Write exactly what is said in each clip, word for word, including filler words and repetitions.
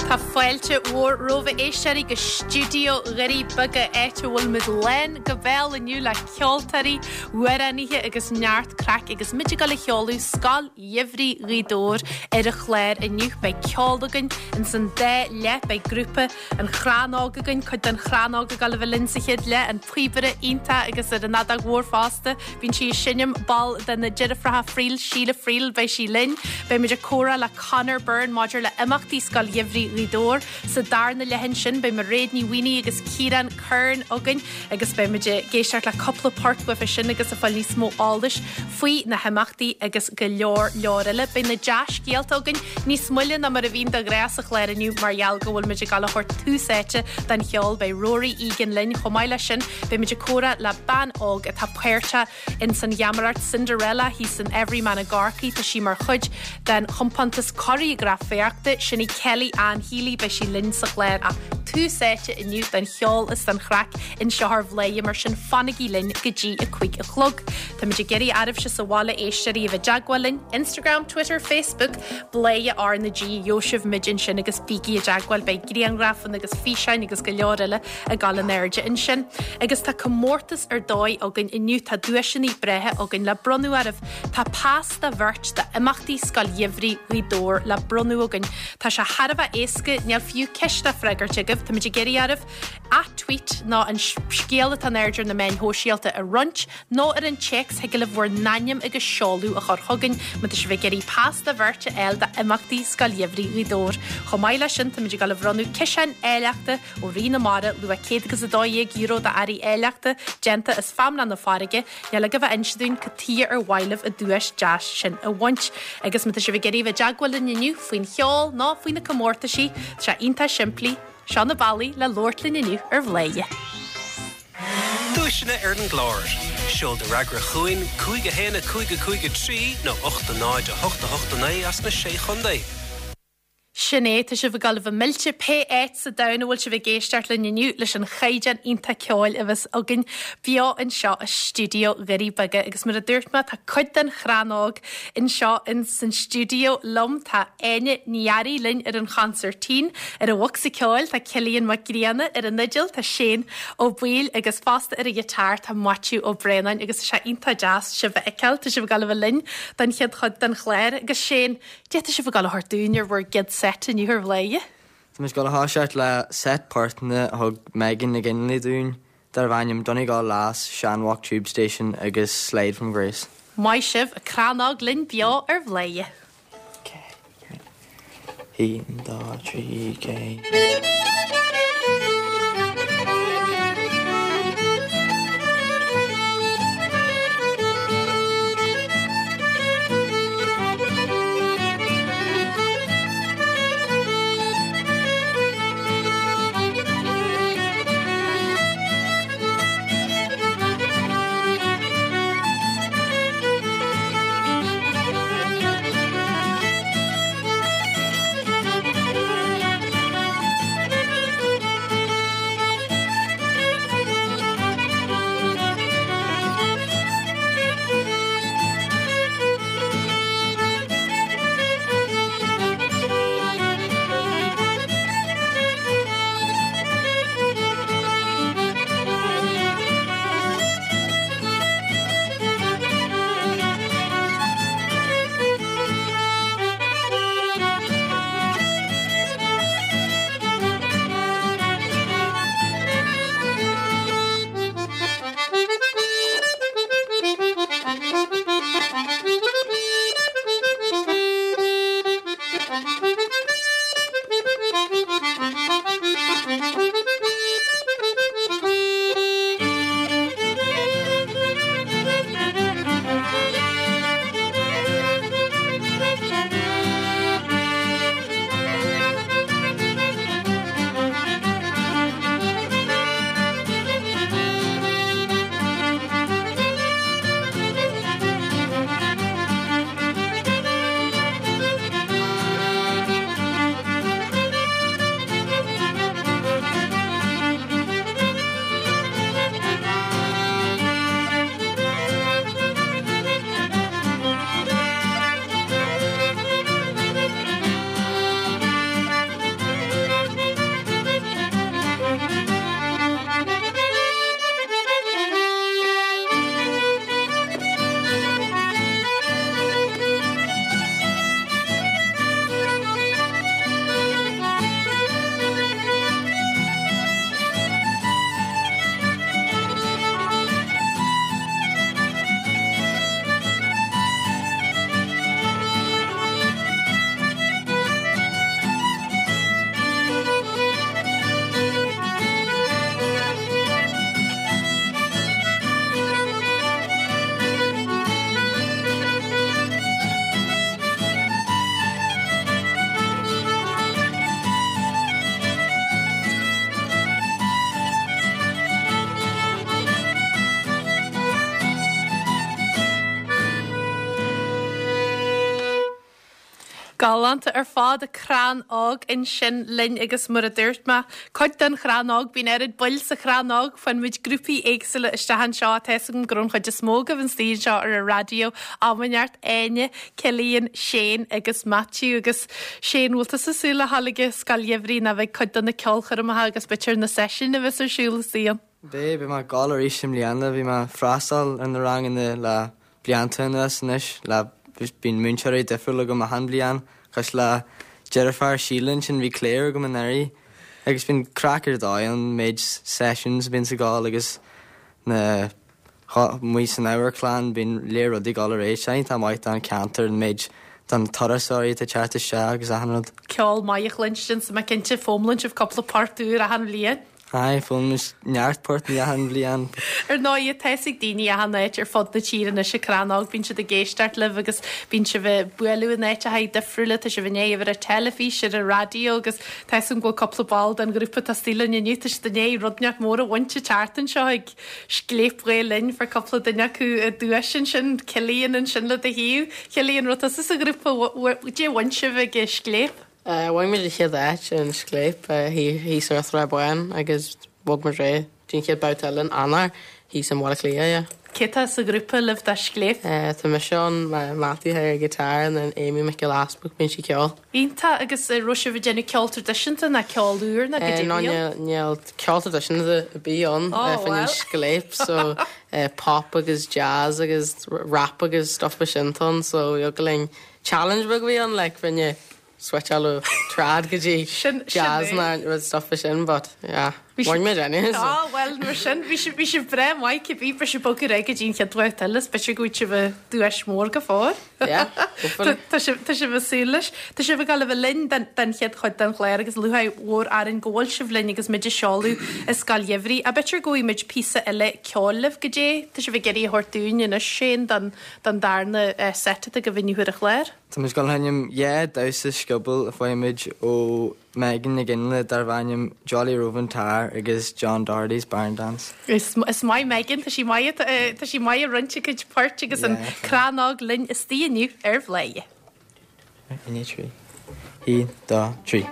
Tá fáilte mhór romhaibh a éisteoirí go stiúideo Dhoirí Beaga áit a bhfuil muid lán go béal inniu le ceoltóirí, amhránaithe agus neart craic agus muid ag dul a sheoladh Scoil Gheimhridh Ghaoth Dobhair ar an chlár inniu beidh ceol againn in san dá leath beidh grúpa an Chrannóg againn cuid den Chrannóg ag dul a bheith linn sa chéad leath an píobaire iontach agus ar an fheadóg mhór fosta bíonn sí ag seinm ball de na deirfiúracha Friel Síle Friel beidh sí linn beidh muid ag comhrá le Conor Byrne maidir le imeachtaí Scoil Gheimhridh Ghaoth Dobhair sa darna leath ansin beidh Mairéad Ní Mhaonaigh agus Ciarán Curran againn agus beidh muid ag éisteacht le cúpla port uafa sin agus ag fáil níos mó eolais faoi na himeachtaí agus go leor leor eile beidh na dea-scéalta againn níos moille ná mar a bhíonn de ghnáth sa chlár inniu mar gheall go bhfuil muid ag dul a thabhairt tús áite don cheol beidh Rory Egan linn chomh maith leis sin beidh muid ag comhrá le bean óg atá páirteach in san gheamaireacht Cinderella thíos san Everyman i gCorcaigh tá sí mar chuid den chompántas cóiréagrafaíochta sin í Kelly Ann Healy beidh sí linn sa chlár ach tús áite inniu don cheol is don chraic anseo ar Bhladhaire mar sin fanaigí linn go dtí a cúig a chlog. Tá muid ag iarraidh oraibhse sa bhaile éisteoirí a bheith i dteagmháil linn Instagram, Twitter, Facebook, Bladhaire R na G gheobhaidh sibh muid ansin agus bígí i dteagmháil beidh grianghrafanna agus físeáin agus go leor eile ag dul in airde ansin. Agus tá comórtas ar dóigh againn inniu tá duaiseanna breátha againn le bronnadh oraibh. Tá pas do bheirt d'imeachtaí Scoil Gheimhridh Ghaoth Dobhair le bronnadh againn. Tá sé thar a bheith éasca níl fiú ceist le freagairt agaibh Tá muid ag iarraidh oraibh a tweet nó an scéal atá in airde ar na meáin shóisialta a roinnt nó ar an téacs thig libh bhur n-ainm agus seoladh a chur chugainn má tá sibh ag iarraidh pas do bheirt a fháil d'imeachtaí Scoil Gheimhridh Ghaoth Dobhair. Chomh maith leis sin tá muid ag dul a bhronnadh ciseán áilleachta ó Rí na Mara luach céad agus a dó dhéag euro d'earraí áilleachta déanta as feamnach na farraige, Níl agaibh ach inse dúinn cad chuige ar mhaith libh an duais deas sin a bhaint. Agus má tá sibh ag iarraidh bheith i dteagmháil linn inniu faoin cheol nó faoi na comórtaisí, tá sé iontach simplí, seo na bealaí le labhairt linn inniu ar Bhladhaire. Duaiseanna ar an gclár. Seol do fhreagra chugainn cúig a haon a cúig a cúig a trí nó ocht a náid a hocht a hocht a naoi as na sé chontae. Sin é tá sibh ag dul a bheith millte pé áit sa domhan a bhfuil sibh ag éisteacht linn inniu leis an chaighdeán iontach ceoil a bheas againn beo anseo i stiúideo Dhoirí Beaga agus mar a dúirt mé tá cuid den Chrannóg anseo in san stiúideo liom tá Áine Ní Fhearraigh linn ar an chonsairtín ar an bhocsa ceoil tá Cillian Mac Grianna ar an fhidil tá Shane Ó Baoill agus fosta ar an ghiotár tá Maitiú Ó Braonáin agus sé iontach deas sibh a fheiceáil tá sibh ag dul a bheith linn don chéad chuid den chlár agus Shane Cad tá sibh ag dul a thabhairt dúinn ar bhur gcéad set inniu ar Bhladhaire. Tá muid ag dul a thoiseacht le set portanna a thug Megan McGinley dúinn darb ainm Donegal Lass, Shanwalk Tube Station agus Slide from Grace. Maith sibh an Crannóg linn beo ar Bhladhaire. Haon, dó, trí, ceathair. Galánta ar fad Crann Óg ansin linn agus mar a dúirt mé cuid den Chrann Óg bíonn oiread baill sa Chrann Óg faigheann muid grúpaí éagsúla isteach anseo tá a fhios agam go raibh an chuid is mó agaibh istigh anseo ar an raidió Amneart Áine, Cillian, Shane agus Matthew agus Shane bhfuil tú ag súil le dhul ag Scoil Gheimhridh ná bheidh cuid de na ceolchoirmeacha agus b'fhéidir na seisiúin a bheas ar siúl istigh. Beidh beidh mé ag gabháil arís i mbliana bhí mé ag freastal ar na ranganna le blianta anuas anois le bíonn múinteoirí difriúil agam achan bhliain cosúil le deirfiúr Síle ansin bhí Claire agam anuraidh agus bíonn craic ar dóigh an méid sessions a bíonn ag gabháil agus na amuigh san amharclann bíonn léir rudaí ag gabháil ar aghaidh sé tá maith don ceantar an méid don turasóirí atá ag teacht isteach agus achan rud. Ceol maith a chluinstin so mé cinnte foghlaimíonn sibh cúpla port úr achan bhliain. Aye, foghlaimíonn neart port achan bhliain. Ar ndóigh tá a fhios ag daoine achan áit ar fud na tíre anois an Crann Óg bíonn siad ag éisteacht libh agus bíonn sibh ag bualadh in áiteacha difriúla tá sibh inné ar an teilifís ar an raidió agus tá a fhios agam go bhfuil cúpla ball den ghrúpa atá istigh linn inniu tá siad inné rud neart mór a bhaint an tseachtain seo ag Scléip Ghael Linn fuair cúpla duine acu duais ansin Cillian ansin le do thaobh Cillian raibh tusa sa ghrúpa dé bhain sibh ag Scléip. Bhain muid an chéad áit in Scléip thíos ar Shraith Bháin agus bhog muid go dtí an chéad babhta eile in Eanáir thíos in Bhaile Átha Cliath, yeah. Cé tá sa ghrúpa libh do Scléip? Tá mise ann Matthew ar guitar and then Amy Mhic Giolla Easbuig bíonn sí ceol. Iontach agus raibh sibh ag déanamh ceol traidisiúnta ná ceol úr ná go No níl ceol traidisiúnta a bhí ann fan Scléip so pop agus jazz agus rap agus stuff mar sin ann so go linn challenge beag bhí ann like rinne switcháil ó trad go dtí jazz ná rud stuff sin but yeah bhain muid anyway. Ah well mar sin bhí sibh bhí sibh breá maith cibé bhí sibh bogtha go dtí an chéad bhabhta eile is b'fhéidir go bhfuil sibh duais mór go fóill. Yeah, hopefully. Tá sibh tá sibh ag súil leis. Tá sibh ag gabháil a bheith linn den den chéad chuid den chlár agus lúcháir mhór orainn go bhfuil sibh linn agus muid ag seoladh i Scoil Gheimhridh. A b'fhéidir go bhfaighidh muid píosa eile ceoil libh go dté Tá sibh ag iarraidh a thabhairt dúinn anois Shane don don darna set atá agaibh inniu ar an chlár. Tá muid ag gabháil a sheinm dhá damhsa scioból a fuair muid ó Megan Nic Fhionnghaile darb ainm Jolly Rovin' Tar agus John Doherty's Barn Dance. Is is maith Megan tá sí maith tá sí maith ag roinnt a cuid poirt agus an Crann Óg linn istigh inniu ar Bhladhaire. Aon trí. Aon, dó, trí.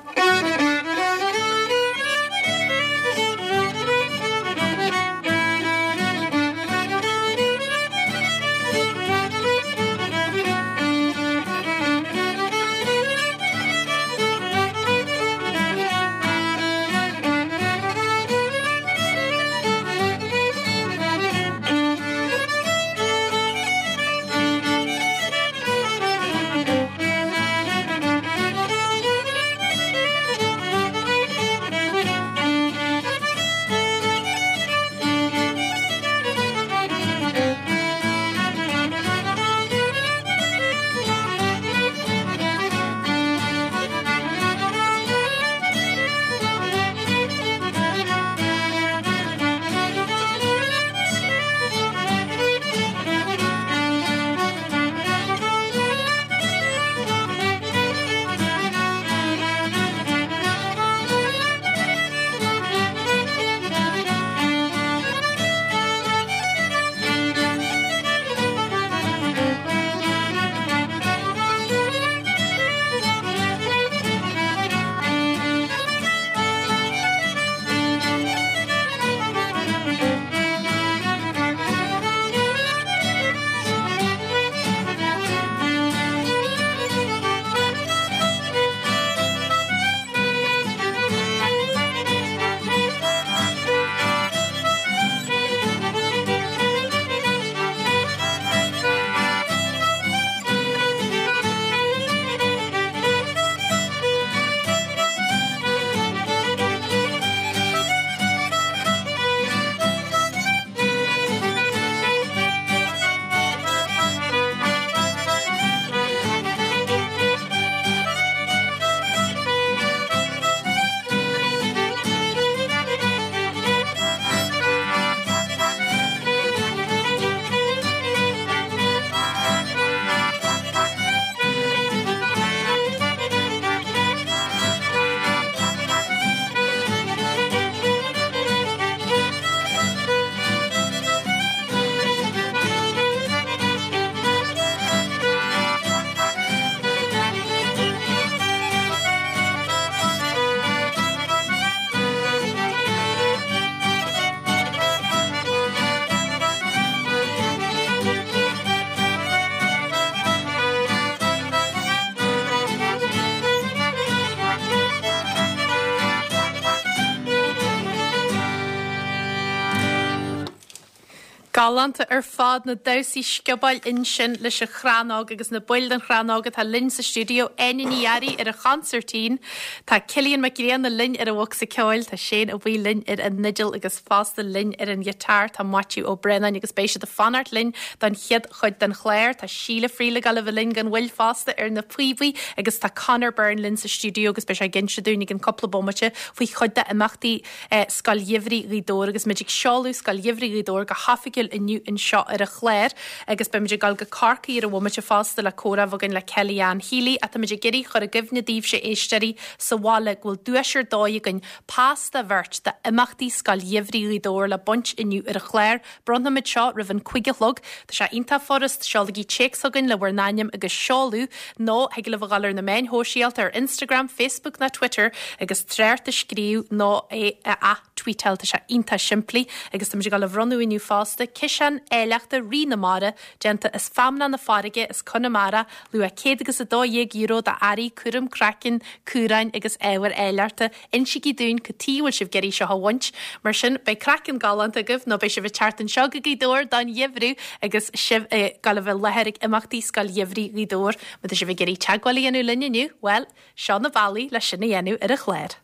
Galánta ar fad na damhsaí sciobóil ansin leis an chrannóg agus na baill den chrannóg atá linn sa stiúideo Áine Ní Fhearraigh ar an chonsairtín. Tá Cillian Mac Grianna linn ar an bhocsa ceoil, tá Shane Ó Baoill linn ar an fhidil agus fosta linn ar an ghiotár tá Maitiú Ó Braonáin agus beidh siad ag fanacht linn don chéad chuid den chlár, Tá Síle Friel ag gabháil a bheith linn gan mhoill fosta ar na píobaí agus tá Conor Byrne linn sa stiúideo agus beidh sé ag inse dúinn i gceann cúpla bomaite faoi chuid d'imeachtaí eh, Scoil Gheimhridh Ghaoth Dobhair agus muid ag seoladh Scoil Gheimhridh Ghaoth Dobhair go hoifigiúil inniu anseo ar an chlár agus beimid ag dul go Corcaigh ar an bhomaite fosta le comhrá againn le Kelly Ann Healy a táimid ag iarraidh chur i gcuimhne daoibhse éisteoirí sa bhaile go bhfuil duais ar dóigh againn pas do bheirt d'imeachtaí Scoil Gheimhridh Ghaoth Dobhair le baint inniu ar an chlár. Bronnfaimid seo roimh an cúig a chlog, Tá sé iontach furast seolaigí téacs chugainn le bhur n-ainm agus seoladh nó thig libh a dhul ar na meáin shóisialta ar Instagram, Facebook ná Twitter agus trácht a scríobh nó é a tweetáil tá sé iontach simplí agus tá muid ag dul a bhronnadh inniu fosta ciseán áilleachta Rí na Mara déanta as feamnach na farraige as Conamara luach céad agus a dó dhéag euro d'earraí cúram craicinn, cumhráin agus ábhair áilleachta. Insígí dúinn cad chuige bhfuil sibh ag iarraidh seo a bhaint, mar sin beidh craiceann galánta agaibh nó beidh sibh ag teacht anseo go Gaoth Dobhair don gheimhreadh agus sibh ag gabháil a bheith i láthair ag imeachtaí Scoil Gheimhridh Ghaoth Dobhair, má tá sibh ag iarraidh teagmháil a dhéanamh linn inniu, well, seo na bealaí le sin a dhéanamh ar an chlár.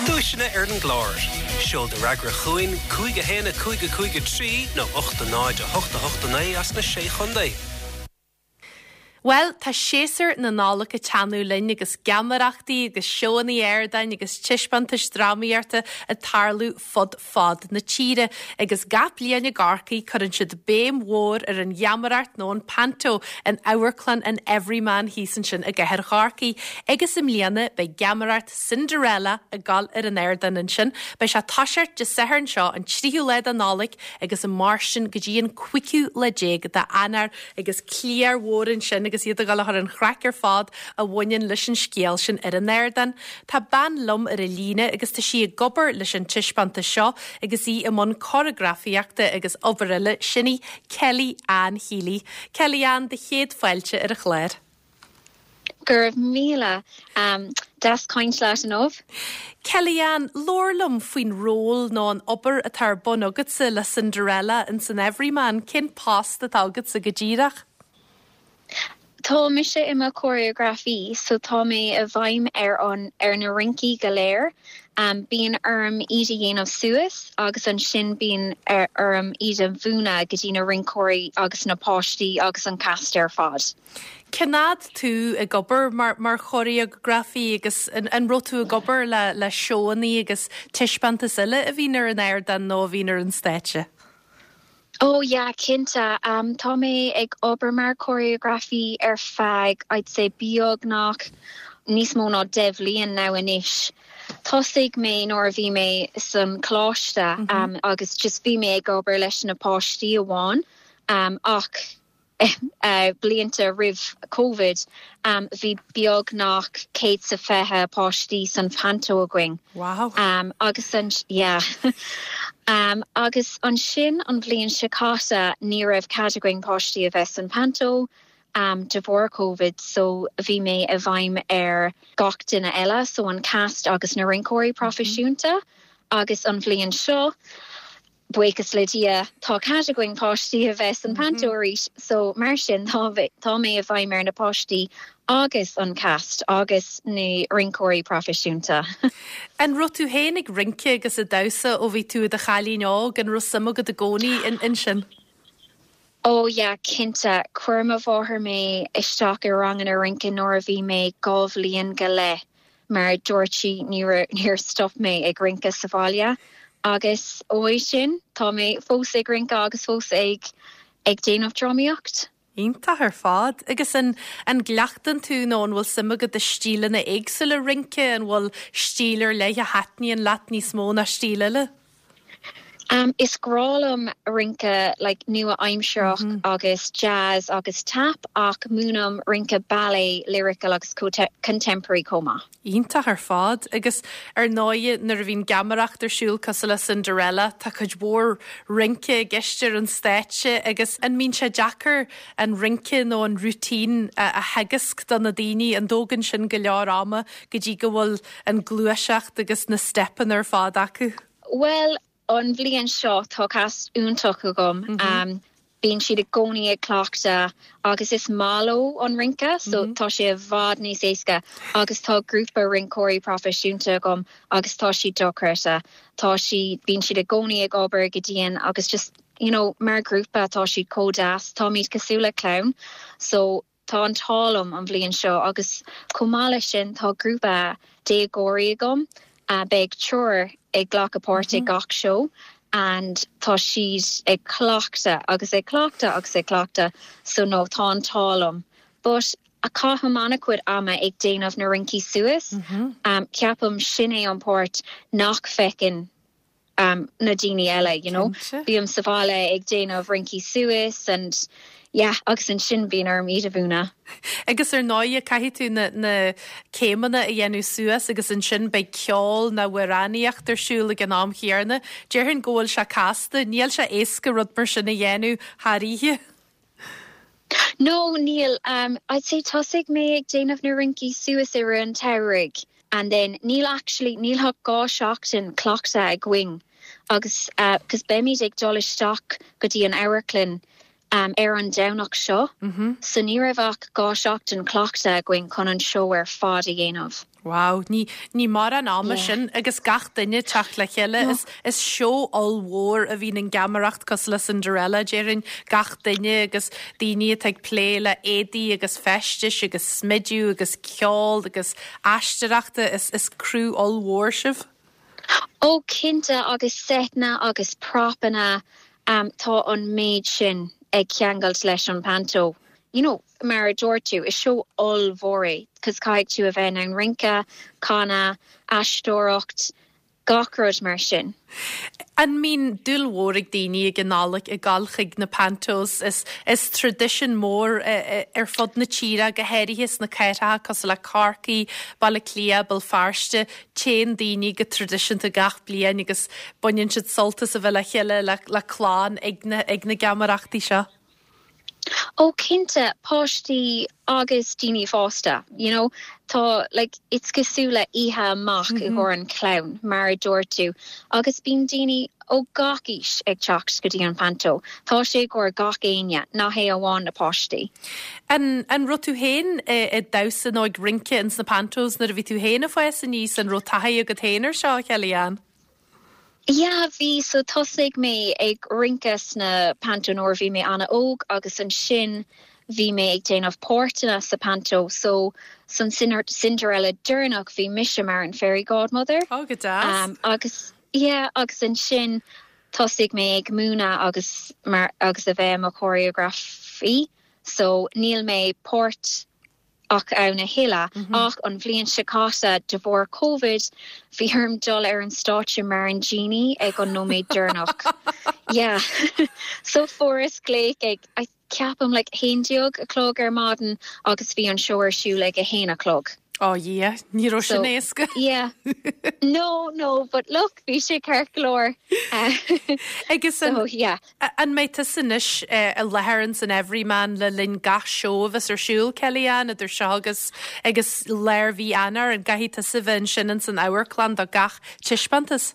Duaiseanna ar an gclár. Seol do fhreagra chugainn cúig a haon a cúig a cúig a trí nó ocht a náid a hocht a hocht a naoi as na sé chontae. Well, tá séasúr na Nollag ag teannadh linn agus geamaireachtaí agus seónna ardáin agus taispeántais drámaíochta ag tarlú fud fad na tíre, agus gach bliain i gCorcaigh cuireann siad béim mhór ar an gheamaireacht nó an panto in amharclann an Everyman thíos ansin i gcathair Chorcaí. Agus i mbliana beidh geamaireacht Cinderella ag dul ar an ardán ansin, beidh sé ag toiseacht Dé Sathairn seo an tríú lá de Nollaig agus ag mairstean go dtí an cúigiú lá déag d'Eanáir agus cliar mhór ansin agus iad ag dul a chur an chraic ar fad a bhaineann leis an scéal sin ar an ardán. Tá bean liom ar an líne agus tá sí ag obair leis an taispeántas seo agus í i mbun córagrafaíochta agus obair eile sin í Kelly Ann Healy. Kelly Ann do chéad fáilte ar an chlár. Go raibh míle um, deas caint leat inniu. Kelly Ann, labhair liom faoin ról nó an obair atá ar bun agatsa le Cinderella in san Everyman, cén post atá agatsa go díreach? Tá mise i mo choreografaí, so tá mé i bhfeidhm ar an ar na rincí go léir. Um, bíonn orm iad a dhéanamh suas agus ansin bíonn ar orm iad a mhúineadh go dtí na rinceoirí agus na páistí agus an cast ar fad. Cén fhad tú ag obair mar, mar choreografaí agus an, an raibh tú ag obair le, le seónna agus taispeántais eile a bhí ar an ardán nó a bhí ar an stáitse? Oh yeah, cinnte um, tá mé ag obair mar choreografaí ar feadh I'd say beagnach níos mó ná deich mbliana now anois. Thosaigh mé nuair a bhí mé san choláiste mm -hmm. um, agus just bhí mé ag obair leis na páistí amháin um, ach uh, blianta roimh COVID um, bhí beagnach céad sa fiche páistí san panto againn. Wow. Um, agus an yeah. um, agus ansin an bhliain seo caite ní raibh cead againn páistí a bheith san panto um, de bharr COVID so bhí mé i bhfeidhm ar gach duine eile so an cast agus na rinceoirí proifisiúnta mm -hmm. agus an bhliain seo buíochas le Dia tá cead againn páistí a bheith san panto arís so mar sin tá tá mé i bhfeidhm ar na páistí agus an cast agus na rinceoirí proifisiúnta. An raibh tú féin ag rince agus ag damhsa ó bhí tú i do chailín óg an raibh suim agat i gcónaí in ansin. Ó yeah, cinnte chuir mo mháthair mé isteach i ranganna rince nuair a bhí mé dhá bhliain go leith mar dúirt sí níor níor stop mé ag rince sa bhaile agus ó sin tá mé fós ag rince agus fós ag ag déanamh drámaíocht. Iontach ar fad agus an an gcleachtann tú nó an bhfuil suim agat i stíleanna éagsúla rince an bhfuil stíl ar leith a thaitníonn leat níos mó ná stíl eile? Um, is grá liom rince like, nua-aimsearach mm -hmm. agus jazz agus tap ach múinim rince ballet lyrical agus contemporary chomh maith. Iontach ar fad agus ar ndóigh nuair a bhíonn geamaireacht ar siúl cosúil le Cinderella tá cuid mhór rince i gceist ar an stáitse agus an mbíonn sé deacair an rince nó an routine a, a theagasc do na daoine an dtógann sin go leor ama go dtí go bhfuil an gluaiseacht agus na steipeanna ar fad acu. Well, An bhliain seo tá cast iontach agam. Mm -hmm. um, bíonn siad i gcónaí ag cleachtadh agus is maith leo an rince, so mm -hmm. tá sé i bhfad níos éasca agus tá grúpa rinceoirí proifisiúnta agam agus tá siad dochreidte. Tá siad bíonn siad i gcónaí ag obair go dian agus just you know, mar grúpa tá siad chomh deas táimid cosúil le clann, so tá an t-ádh liom an bhliain seo agus chomh maith leis sin tá grúpa déagóirí agam uh, beidh triúr ag glacadh páirt mm -hmm. gach show and tá siad ag cleachtadh agus ag cleachtadh agus ag cleachtadh so no tá an t-ádh liom. But a caithim an-chuid ama ag déanamh na rincí suas, mm -hmm. um, ceapaim sin é an páirt nach bhfeiceann um, na daoine eile, you know? Bím sa bhaile ag déanamh rincí suas and yeah, agus ansin bíonn orm iad a mhúineadh. Agus ar ndóigh caithfidh tú na, na céimeanna a dhéanamh suas agus ansin beidh ceol nó amhránaíocht ar siúl ag an am chéanna. Déarfainn go bhfuil sé casta, níl sé éasca rud mar sin a dhéanamh thar oíche. No níl um, I'd say thosaigh mé ag déanamh na rincí suas i rith an tsamhraidh and then níl actually níl ach dhá seachtain cleachtadh againn agus uh, cos beimid ag dul isteach go dtí an amharclann um, ar an Domhnach seo, mm -hmm. so ní raibh ach dhá seachtain cleachtadh againn chun an seó ar fad a dhéanamh. Wow, ní, ní mar an ama yeah. sin agus gach duine teacht le chéile no. is, is seó ollmhór a bhíonn in geamaireacht cosúil le Cinderella déarfainn gach duine agus daoine atá ag plé le éadaí agus feistis agus smidiú agus ceol agus aisteoireachta is, is criú ollmhór sibh. Ó cinnte agus seiteanna agus propanna um, tá an méid sin ag ceangailt leis an panto. You know, mar a dúirt tú is seó ollmhór é, cos caithfidh tú a bheith an rince, canadh, aisteoireacht, gach rud mar sin. An mbíonn dúil mhór ag daoine ag an Nollaig ag dul chuig na pantos is, is tradition mór ar fud na tíre go háirithe sna cathracha cosúil le Corcaigh, Baile Átha Cliath, Béal Feirste, téann daoine go traidisiúnta gach bliain agus baineann siad sult as a bheith le chéile le, le clann ag na, ag na geamaireachtaí seo. Ó cinnte páistí agus daoine fásta, you know, tá like it's cosúil le oíche amach mm -hmm. i gcomhair an clann mar a dúirt tú agus bíonn daoine ó gach aois ag teacht go dtí an panto. Tá sé i gcomhair gach éinne nach hé amháin na páistí. An, an raibh tú féin ag damhsa nó ag rince ins na pantos nuair a bhí tú féin ag fás aníos an raibh taithí agat féin air seo Kellyanne? Ja, bhí so thosaigh mé ag rince sna panto nuair bhí mé an-óg agus ansin bhí mé ag déanamh páirteanna sa panto so san Cinderella deireanach bhí mise mar an fairy godmother. Oh, go deas. Um, agus yeah, agus ansin thosaigh mé ag múineadh agus mar agus a bheith mo choreografaí so níl mé páirteach ann a thuilleadh mm -hmm. ach an bhliain seo caite de bharr COVID bhí orm dul ar an stáitse mar an genie ag an nóiméad deireanach. yeah. so fuaireas glaoch ag I ceapaim like haon déag a chlog ar maidin agus bhí an seó ar siúl ag a haon a chlog. Oh yeah, ní raibh sin éasca. yeah. No, no, but look, bhí sé ceart go leor. Agus so, yeah. An mbeidh tú anois i láthair san Everyman le linn gach seó a bheas ar siúl Kellyanne idir seo agus agus lár mhí Eanáir an gcaithfidh tú bheith ansin san amharclann do gach taispeántas?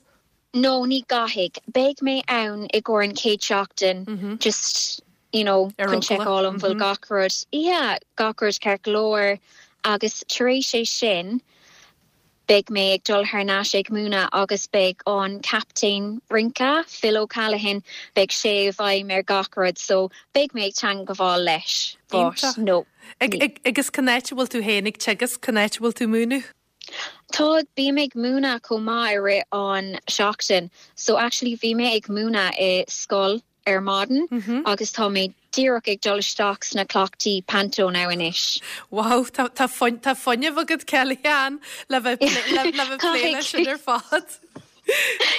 No, ní gcaithfidh. Beidh mé ann i gcomhair an chéad seachtain mm -hmm. just you know, chun seiceáil an bhfuil mm -hmm. gach rud. Yeah, gach rud ceart go leor agus tar éis é sin beidh mé ag dul thar n-ais ag múineadh agus beidh an captaen rince Phil O'Callaghan beidh sé i bhfeidhm ar gach rud so beidh mé ag teagmháil leis but no. Agus cá háit a bhfuil tú féin ag teagasc cá háit a bhfuil tú múineadh? Tá bím ag múineadh chomh maith i rith an seachtain, so actually bhí mé ag múineadh i scoil ar maidin mm -hmm. agus tá mé díreach ag dul isteach sna cleachtaí panto now anois. Wow, tá tá fuinneamh agat Kellyanne le bheith le plé sin ar fad.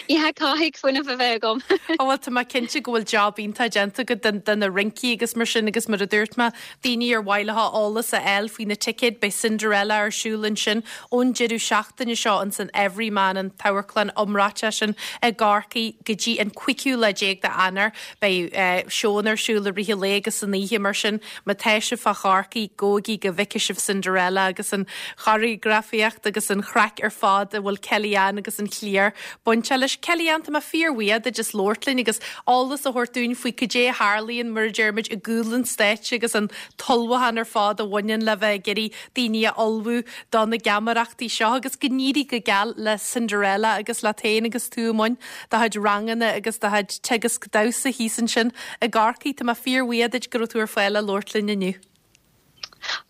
Yeah, caithfidh fuinneamh a bheith agam. Ó bhfuil tá mé cinnte go bhfuil job iontach déanta agat den den na rincí agus mar sin agus mar a dúirt mé daoine ar mhaith leo eolas a fháil faoi na ticéid beidh Cinderella ar siúl ansin ón deireadh seachtaine seo an san Everyman an t-amharclann iomráiteach sin i gCorcaigh go dtí an cúigiú lá déag d'Eanáir beidh uh, seónna ar siúl i rith an lae agus san oíche mar sin má tá sibh fá Chorcaigh gabhaigí go bhfeicfidh sibh Cinderella agus an choreografaíocht agus an chraic ar fad a bhfuil Kellyanne agus an chliar bainteach leis. Kelly-Anne, tá mé fíorbhuíoch duit as labhairt linn agus eolas a thabhairt dúinn faoi cad é a tharlaíonn mar a deir muid i gcúl an stáitse agus an t-ullmhúchán ar fad a bhaineann le bheith ag iarraidh daoine a ullmhú do na geamaireachtaí seo agus go n-éirí go geal le Cinderella agus leat féin agus tú i mbun do chuid ranganna agus do chuid teagasc damhsa thíos ansin i gCorcaigh. Tá mé fíorbhuíoch duit go raibh tú ar fáil le labhairt linn inniu.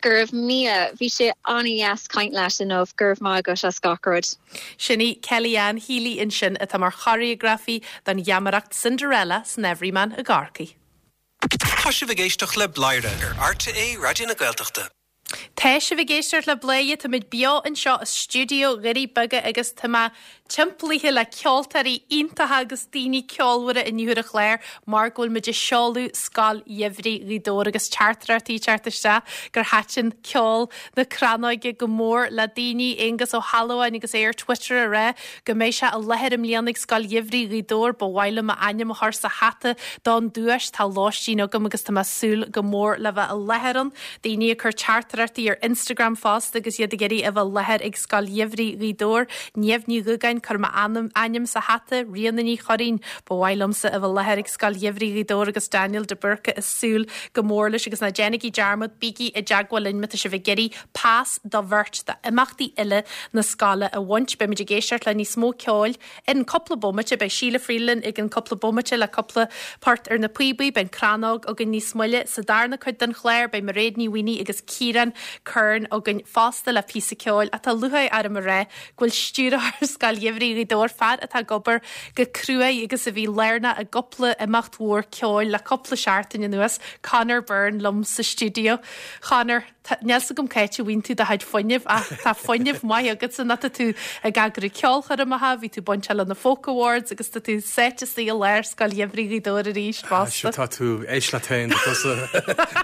Go raibh míle, bhí sé an-deas caint leat inniu, go raibh maith agat as gach rud. Sin í Kelly-Anne Healy ansin atá mar choreografaí don gheamaireacht Cinderella san Everyman i gCorcaigh. Tá sibh ag éisteacht le Bladhaire ar RTÉ Raidió na Gaeltachta. Tá sibh ag éisteacht le Bladhaire, táimid beo anseo i stiúideo Dhoirí Beaga agus tá mé timpeallaithe le ceoltóirí iontacha agus daoine ceolmhara inniu ar an chlár mar go bhfuil muid ag seoladh Scoil Gheimhridh Ghaoth Dobhair agus teachtaireachtaí ag teacht isteach gur thaitin ceol na crannóige go mór le daoine Aonghus Ó hAlmhain agus é ar Twitter ag rá go mbeidh sé i láthair i mbliana ag Scoil Gheimhridh Ghaoth Dobhair ba mhaith liom m'ainm a chur sa hata don duais tá lóistín agam agus tá mé ag súil go mór le bheith i láthair ann. Daoine ag cur teachtaireachtaí ar Instagram fosta agus iad ag iarraidh a bheith i láthair ag Scoil Gheimhridh Ghaoth Dobhair. Niamh Ní Dhúgáin cuir m'ainm ainm sa hata Ríona Ní Churraoin ba mhaith liomsa a bheith i láthair ag Scoil Gheimhridh Ghaoth Dobhair agus Daniel de Búrca ag súil go mór leis agus ná déanaigí dearmad bígí i dteagmháil linn má tá sibh ag iarraidh pas do bheirt d'imeachtaí uile na scoile a bhaint. Beimid ag éisteacht le níos mó ceoil in cúpla bomaite beidh Síle Freeland ag an cúpla bomaite le cúpla port ar na píobaí beidh crannóg againn níos moille sa darna cuid den chlár beidh Mairéad Ní Mhaonaigh agus Ciarán Curran againn fosta le píosa ceoil atá lúcháir orm a rá go bhfuil stiúrthóir Scoil Gheimhridh Ghaoth Dobhair fear atá ag obair go cruaidh agus a bhí lárnach i gcúpla imeacht mhór ceoil le cúpla seachtain anuas Conor Byrne liom sa stiúideo. Conor, níl a fhios agam cá háit a bhfaigheann tú do chuid fuinnimh ach tá fuinneamh maith agatsa ná tá tú ag eagrú ceolchoirmeacha, bhí tú bainteach le na Folk Awards agus tá tú sáite istigh i lár Scoil Gheimhridh Ghaoth Dobhair arís fosta. Tá tú éis le tain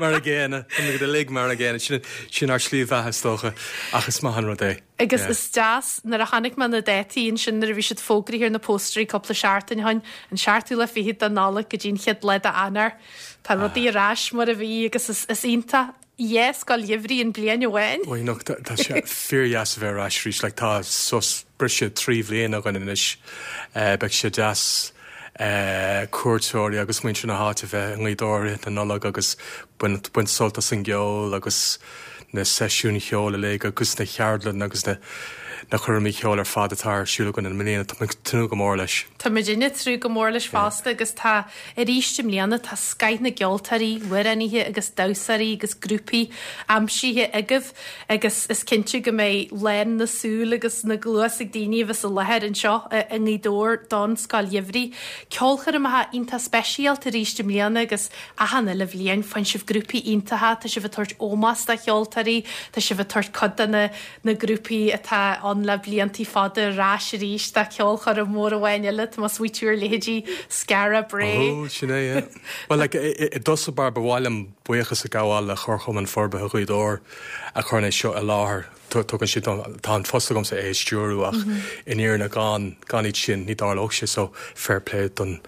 mar a gcéanna go uilig mar a gcéanna sin sin ár slí bheatha is dócha ach is maith an rud é. Agus is deas nuair a chonaic mé na dátaí ansin nuair a bhí siad fógraithe ar na póstairí cúpla seachtain ó shin, an seachtú lá fichead de Nollaig go dtí an chéad lá d'Eanáir. Tá rudaí ar ais mar a bhí agus is, is iontach dhá scoil gheimhridh in bliain amháin. Ó nó tá sé fíordheas a bheith ar ais arís, like, tá sos briseadh trí bhliain againn anois. Uh, beidh sé deas uh, cuairteoirí agus muintir na háite bheith i nGaoth Dobhair na Nollag agus baint baint sult as an gceol agus na seisiúin cheoil uilig agus na ceardlanna agus na na cúraimí ceoil ar fad atá ar siúl againn i mbliana tá tnúth go mór leis. Tá muidinne ag tnúth go mór leis fosta agus tá arís i mbliana tá scoth na gceoltóirí, amhránaithe agus damhsóirí agus grúpaí aimsithe agaibh agus is cinnte go mbeidh lán na súl agus na gcluas ag daoine a bheas i láthair anseo i nGaoth Dobhair don Scoil Gheimhridh. Ceolchoirmeacha iontach speisialta arís i mbliana agus achan uile bhliain faigheann sibh grúpaí iontacha, tá sibh ag tabhairt ómós do cheoltóirí, tá sibh ag tabhairt cuid de na na grúpaí atá ann le blianta fada ar ais arís do cheolchoirm mór amháin eile tá mé ag smaoitiú ar leithéidí Skara Brae. Ó sin é, yeah. Well like, i dtosach báire ba mhaith liom buíochas a ghabháil le Comharchumann Forbartha Ghaoth Dobhair a chuireann é seo i láthair. Tugann siad tá an post agamsa é a stiúradh ach i ndáiríre gan gan iad sin ní dtarlódh sé so fair play don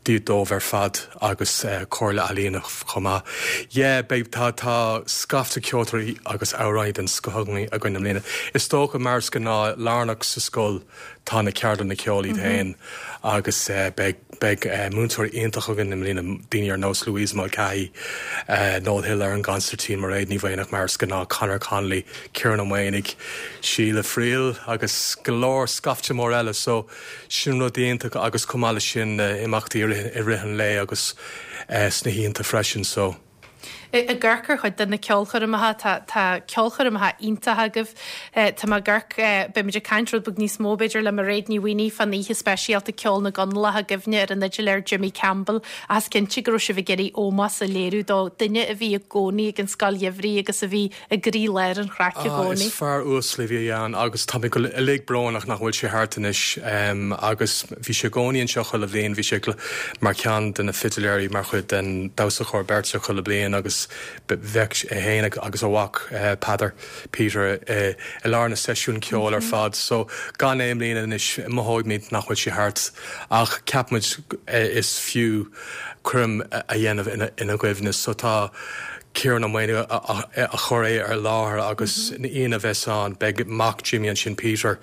díad dóibh ar fad agus uh, Comhairle Ealaíon chomh maith. Yeah, beidh tá tá scaifte ceoltóirí agus amhránaithe den scoth againn i mbliana. Is dócha mar is gnáth lárnach sa scoil tá na ceardlanna ceoil iad féin agus uh, beidh beidh uh, múinteoirí iontach againn i mbliana daoine ar nós Louise Mulcahy, uh, Noel Hill ar an gconsairtín Mairéad Ní Mhaonaigh mar is gnáth Conor Connolly, Ciarán Ó Maonaigh, Síle Friel agus go leor scaifte mór eile so sin rud iontach agus chomh maith leis sin uh, imeachtaí i rith an lae agus uh, sna hoícheanta freisin so. Ag amharc ar chuid de na ceolchoirmeacha tá tá ceolchoirmeacha iontacha agaibh Tá mé ag amharc beimid ag caint rud beag níos mó b'fhéidir le Mairéad Ní Mhaonaigh fán oíche speisialta ceol na gConallach i gcuimhne ar an fhidléir Jimmy Campbell as cinnte go raibh sibh ag iarraidh ómós a léiriú do duine a bhí i gcónaí ag an scoil gheimhridh agus a bhí i gcroílár an chraic i Ah, gcónaí. Is fear uasal a bhí ann agus tá mé go uilig brónach nach bhfuil sé thart anois um, agus bhí sé i gcónaí anseo chuile bhliain bhí sé mar cheann de na fidiléirí mar chuid den damhsa beirte chuile bliain agus bheadh é féin agus a mhac uh, Peadar Peter uh, i lár na seisiún ceoil ar fad so gan é i mbliana anois mothóimid nach bhfuil sé thart ach ceapaimid uh, is fiú coirm a dhéanamh ina, ina gcuimhne so tá Ciarán Ó Maonaigh a chuir é ar láthair agus ina bheas ann beidh mac Jimmy ansin Peter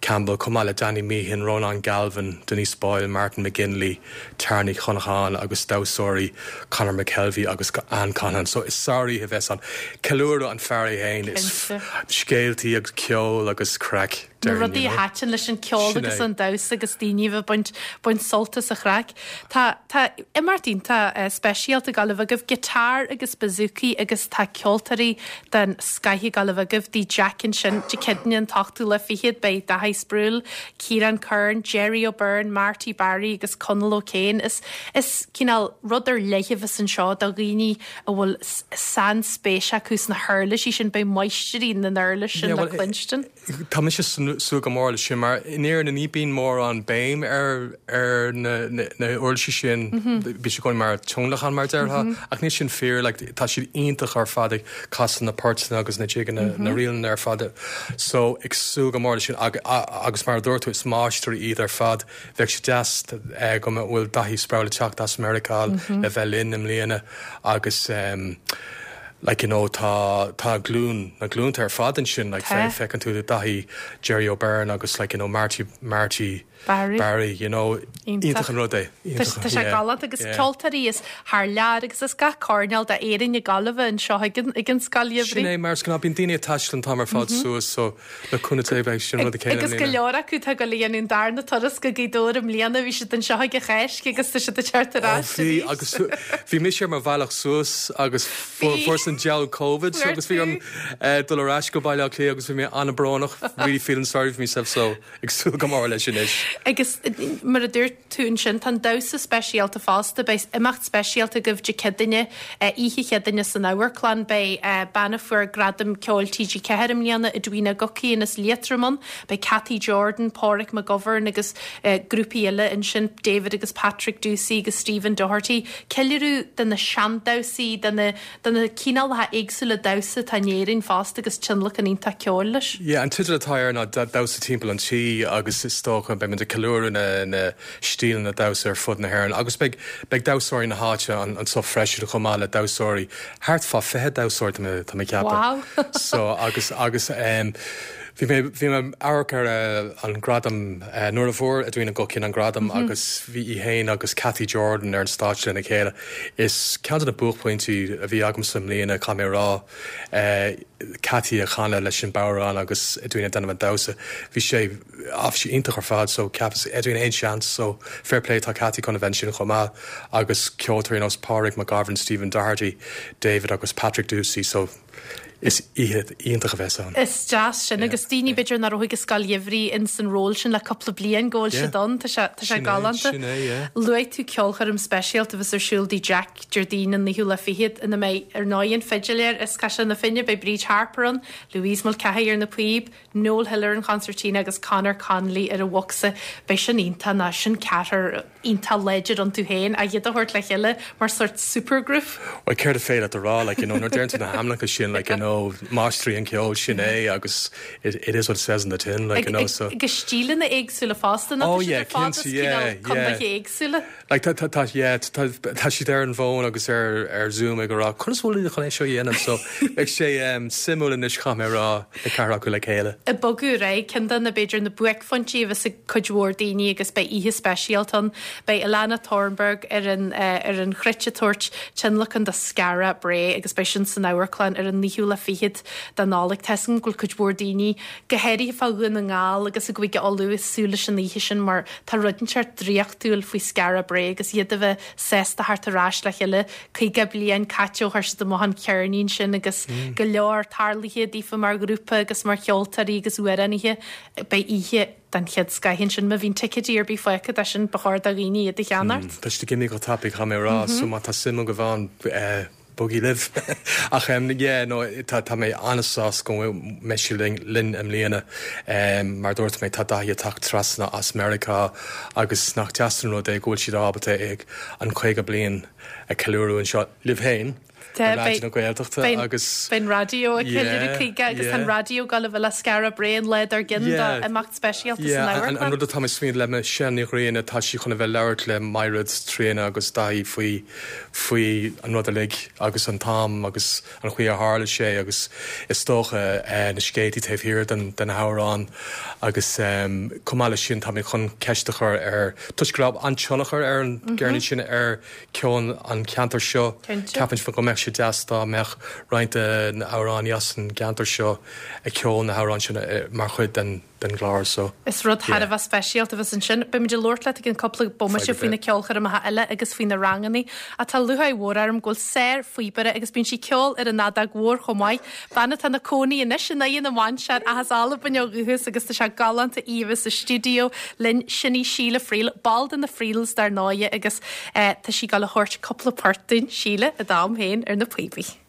Campbell, chomh maith le Danny Meehan, Ronan Galvin, Denise Boyle, Martin McGinley, Tara Ní Chonacháin agus damhsóirí Conor McKelvey agus Anne Conhan. So is sároíche a bheas ann. Ceiliúradh an fear é féin is scéaltaí agus ceol agus craic. Na rudaí a thaitin leis an ceol agus an damhsa agus daoine a bhaint baint sult as an chraic. Tá tá imeacht iontach eh, speisialta ag gabháil a bheith agaibh guitar agus bouzouki agus tá ceoltóirí den scoth ag gabháil a bheith agaibh Tigh Jack ansin Dé Céadaoine an t-ochtú lá fichead beidh Daithí Sproule, Ciarán Kern, Jerry O'Byrne, Marty Barry agus Conal O'Kane is is cineál rud ar leith a bheas anseo do dhaoine a bhfuil sainspéis acu sna huirlisí sin beidh máistrí na n-uirlis sin le cluinstin. Tá mise súil go mór leis sin mar in Éirinn ní bhíonn mórán béim ar ar na na huirlisí sin bíonn sé mar tionlacan mar a déarfá ach níl sin fíor like, tá siad iontach ar fad ag casadh na poirteanna agus na jigeanna na ríleanna ar fad so ag súil go mór leis sin agus mar a dúirt tú is máistrí iad ar fad bheadh sé deas eh, go bhfuil Daithí Sproule teacht as Meiriceá le bheith linn i mbliana agus um, like you know tá tá glún na glúnta ar fad ansin like Tá. feiceann tú Daithí Jerry O'Byrne agus like you know Marty Marty Barry. Barry you know Iontach. iontach an rud é Tá sé galánta agus ceoltóirí as thar lear agus as gach coirnéal d'Éirinn ag gabháil a bheith anseo ag an ag an scoil Sin é mar gná bíonn daoine ag taisteal an t-am ar fad suas so le cúnamh Dé beidh sin rud céanna Agus go leor acu tá ag déanamh an darna turas go Gaoth Dobhair i mbliana bhí siad anseo ag an Cháisc agus tá siad ag teacht ar ais Bhí arís. agus bhí mise ar mo bhealach suas agus fuair an diabhal COVID so Fuair agus bhí an eh, dul ar ais go Baile Átha Cliath agus bhí mé an-bhrónach really feeling sorry for myself so ag súil go mór leis anois. Agus eh, mar a dúirt tú ansin tá damhsa speisialta fosta beidh imeacht speisialta agaibh Dé Céadaoine oíche Chéadaoine san amharclann beidh bean a fuair gradam ceoil TG Ceathair i mbliana Edwina Guckian as Liatroim ann, beidh Cathy Jordan, Pádraig McGovern agus uh, grúpaí eile ansin David agus Patrick Ducey agus Stephen Doherty. Ceiliúradh de na seandamhsaí de na de na cineálacha éagsúla damhsa atá in Éirinn fosta agus tionlacan iontach ceoil leis. Yeah, an teideal atá air ná damhsa timpeall an tí agus is dócha beidh muid ag ceiliúradh na na stíleanna damhsa ar fud na hÉireann agus beidh beidh damhsóirí na háite an anseo freisin chomh maith le damhsóirí thart fá fiche damhsóir tá mé tá mé ceapadh. Wow. so agus agus um, Bhí mé bhí mé amharc ar uh, an gradam uh, nuair a fuair Edwina Guckian an gradam mm -hmm. agus bhí í héin agus Cathy Jordan ar an stáitse lena chéile. Is ceann de na buaicphointí a bhí agam sa mbliana caithfidh mé rá uh, Cathy ag canadh leis an bodhrán agus Edwina déanamh an damhsa. Bhí sé af sé iontach ar fad so ceapas Edwina aon seans so fair play tá Cathy chun a bheith ansin chomh maith agus ceoltóirí nós Pádraig McGovern, Stephen Doherty, David agus Patrick Ducey so is oíche iontach a bheas ann. Is deas sin agus daoine b'fhéidir nach raibh ag scoil gheimhridh in san ról sin le cúpla bliain go bhfuil Yeah. siad ann tá sé tá sé Sin é, galánta. sin é, yeah. Luaigh tú ceolchoirm speisialta a bheas ar siúl Tigh Jack Déardaoin an naoú lá fichead ina mbeidh ar ndóigh an fidléir is Caiseal na Finne beidh Bríd Harper ann, Louise Mulcahy ar na píob, Noel Hill ar an concertina agus Conor Connolly ar an bhocsa beidh sin iontach ná sin ceathrar iontach láidir iontu féin a iad a thabhairt le chéile mar sort supergroup. Well céard is féidir a rá like you know nuair a deireann tú na hainmneacha sin like you know máistrí an ceol sin é agus it, it is what it says in the tin like you know so Agus stíleanna éagsúla fosta Oh, yeah, cinnte, yeah, yeah. éagsúla. like tá tá tá yeah tá tá siad ar an bhfón agus ar ar Zoom ag rá conas bhfuil chun é seo dhéanamh so ag sé um, suimiúil anois caithfidh mé rá na ceathrar acu le chéile. I bogadh ré ceann de na b'fhéidir na buaicphointí bheas ag cuid mhór daoine agus beidh oíche speisialta ann, beidh Alana Thornberg ar an uh, ar an chruit ag tabhairt tionlacan do Skara Brae agus beidh sin san amharclann ar an naoú lá fichead den Nollaig Tá go bhfuil cuid mhór daoine go háirithe fá Dhún na nGall agus i gCúige Uladh ag súil leis an oíche sin mar tá rud inteacht draíochtúil faoi Skara Brae agus iad a bheith sásta theacht ar ais le chéile caoga bliain caite ó chuir siad amach an ceirnín sin agus mm. go leor tarlaithe daofa mar ghrúpa agus mar cheoltóirí agus amhránaithe beidh oíche den chéad scoth ansin má bhíonn ticéidí ar bith fágtha de sin ba chóir do dhaoine iad a cheannacht. Tá siad ag imeacht go tapaidh caithfidh mé rá so má tá suim agaibh ann eh, bogaigí libh ach um, yeah, no, tá tá mé an-sásta go mbeidh sí linn linn i mbliana um, mar dúirt mé tá Daithí ag teacht trasna as Meiriceá agus nach deas an rud é go bhfuil siad ábalta ag an caoga bliain a ceiliúradh anseo libh féin Raidió na Gaeltachta agus Beidh an raidió ag ceiliúradh caoga agus an raidió ag gabháil a bheith le Skara Brae an lá dár gcionn d'imeacht speisialta san amharclann. An rud atá mé ag smaoineamh le Michelle Ní Ghrianna tá sí chun a bheith labhairt le Maighread Tríona agus Daithí faoi faoi an rud uilig agus an t-am agus an chaoi a tharla sé agus is dócha na scéaltaí taobh thiar den den amhrán agus chomh maith leis sin tá mé chun ceist a chur ar toisc go raibh an-tionchar ar an gceirnín sin ar ceol an cheantair seo ceapaim go mbeadh sé deas dá mbeadh roinnt de na hamhránaí as an gceantar seo ag ceol na hamhráin sin mar chuid den den gclár so. Is rud thar a bheith speisialta a bheas ansin. Beimid ag labhairt leat i gcionn cúpla bomaite faoi na ceolchoirmeacha eile agus faoi na ranganna. Ach tá lúcháir mhór orm go bhfuil sár-phíobaire agus bíonn sí ag ceol ar an fheadóg mhór chomh maith. Bean atá ina cónaí anois in Aghaidh na Mainsear ach as Albain ó dhúchas agus tá sé galánta í a bheith sa stiúideo linn. Sin í Síle Friel, ball de na Friels dar ndóigh agus tá sí ag gabháil a thabhairt cúpla port dúinn, Síle, i d'am féin ar na píobaí.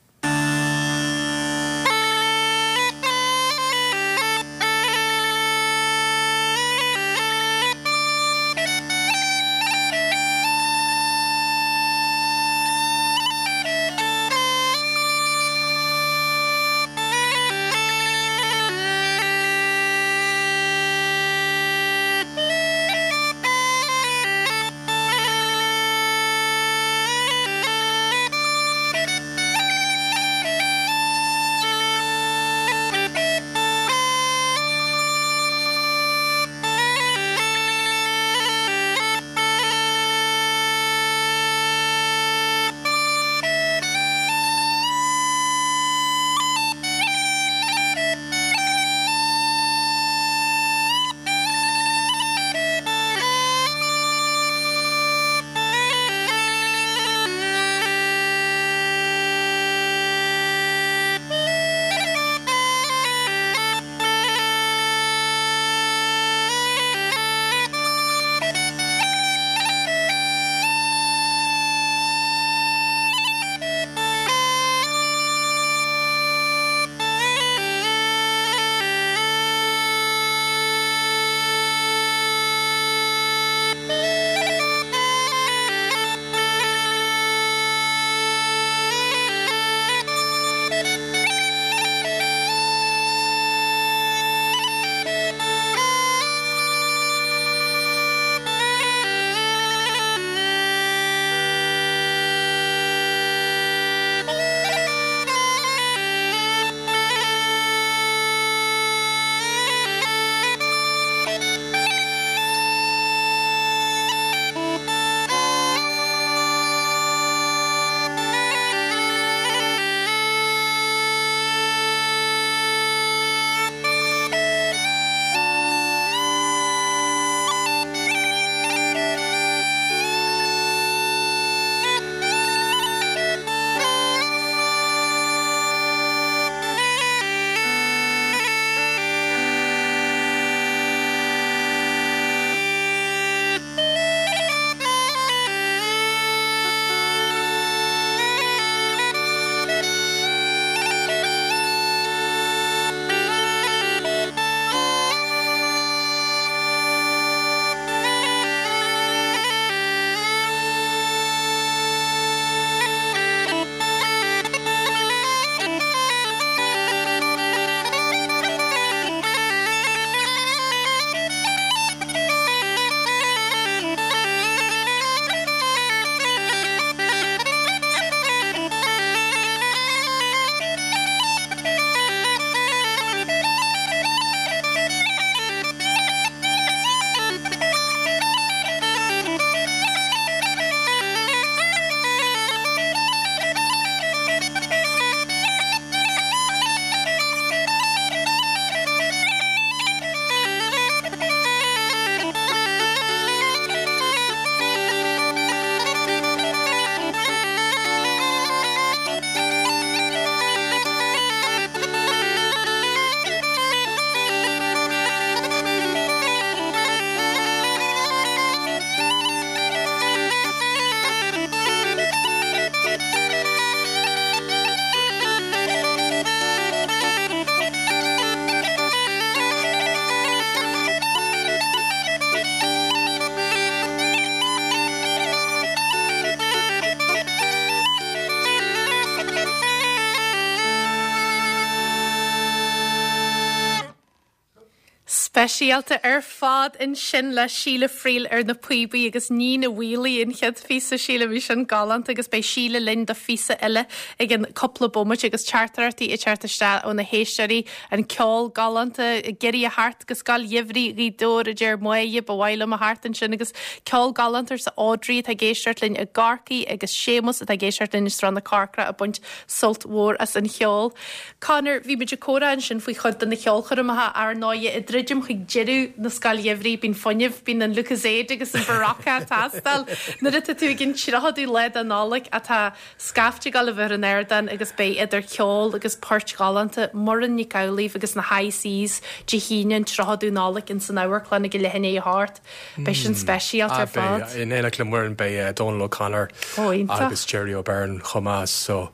Speisialta ar fad ansin le Síle Friel ar na píobaí agus Nina Wheely an chéad phíosa Síle bhí sin galánta agus beidh Síle linn do phíosa eile i gceann cúpla bomaite agus teachtaireachtaí ag teacht isteach ó na héisteoirí an ceol galánta ag iarraidh a theacht go Scoil Gheimhridh Ghaoth Dobhair a deir Máire ba mhaith liom a theacht ansin agus ceol galánta arsa Audrey atá ag éisteacht linn i gCorcaigh agus Séamus atá ag éisteacht linn i Srath na Corcra ag baint sult mhór as an cheol. Conor bhí muid ag comhrá ansin faoi chuid de na ceolchoirmeacha ar ndóigh ag druidim chuig deireadh na Scoile Gheimhridh, bíonn fuinneamh, bíonn an Lucozade agus an Berocca ag teastáil nuair atá tú ag an tríochadú lá de Nollaig atá scaifte ag dul a bheith ar an ardán agus beidh idir cheol agus poirt ghalánta Muireann Nic Amhlaoibh agus na High Seas Dé hAoine an tríochadú Nollaig in san amharclann ag leath i ndiaidh a hocht. Beidh sin speisialta ar fad. In éineacht le Muireann beidh Donal O'Connor agus Jerry O'Beirne chomh maith so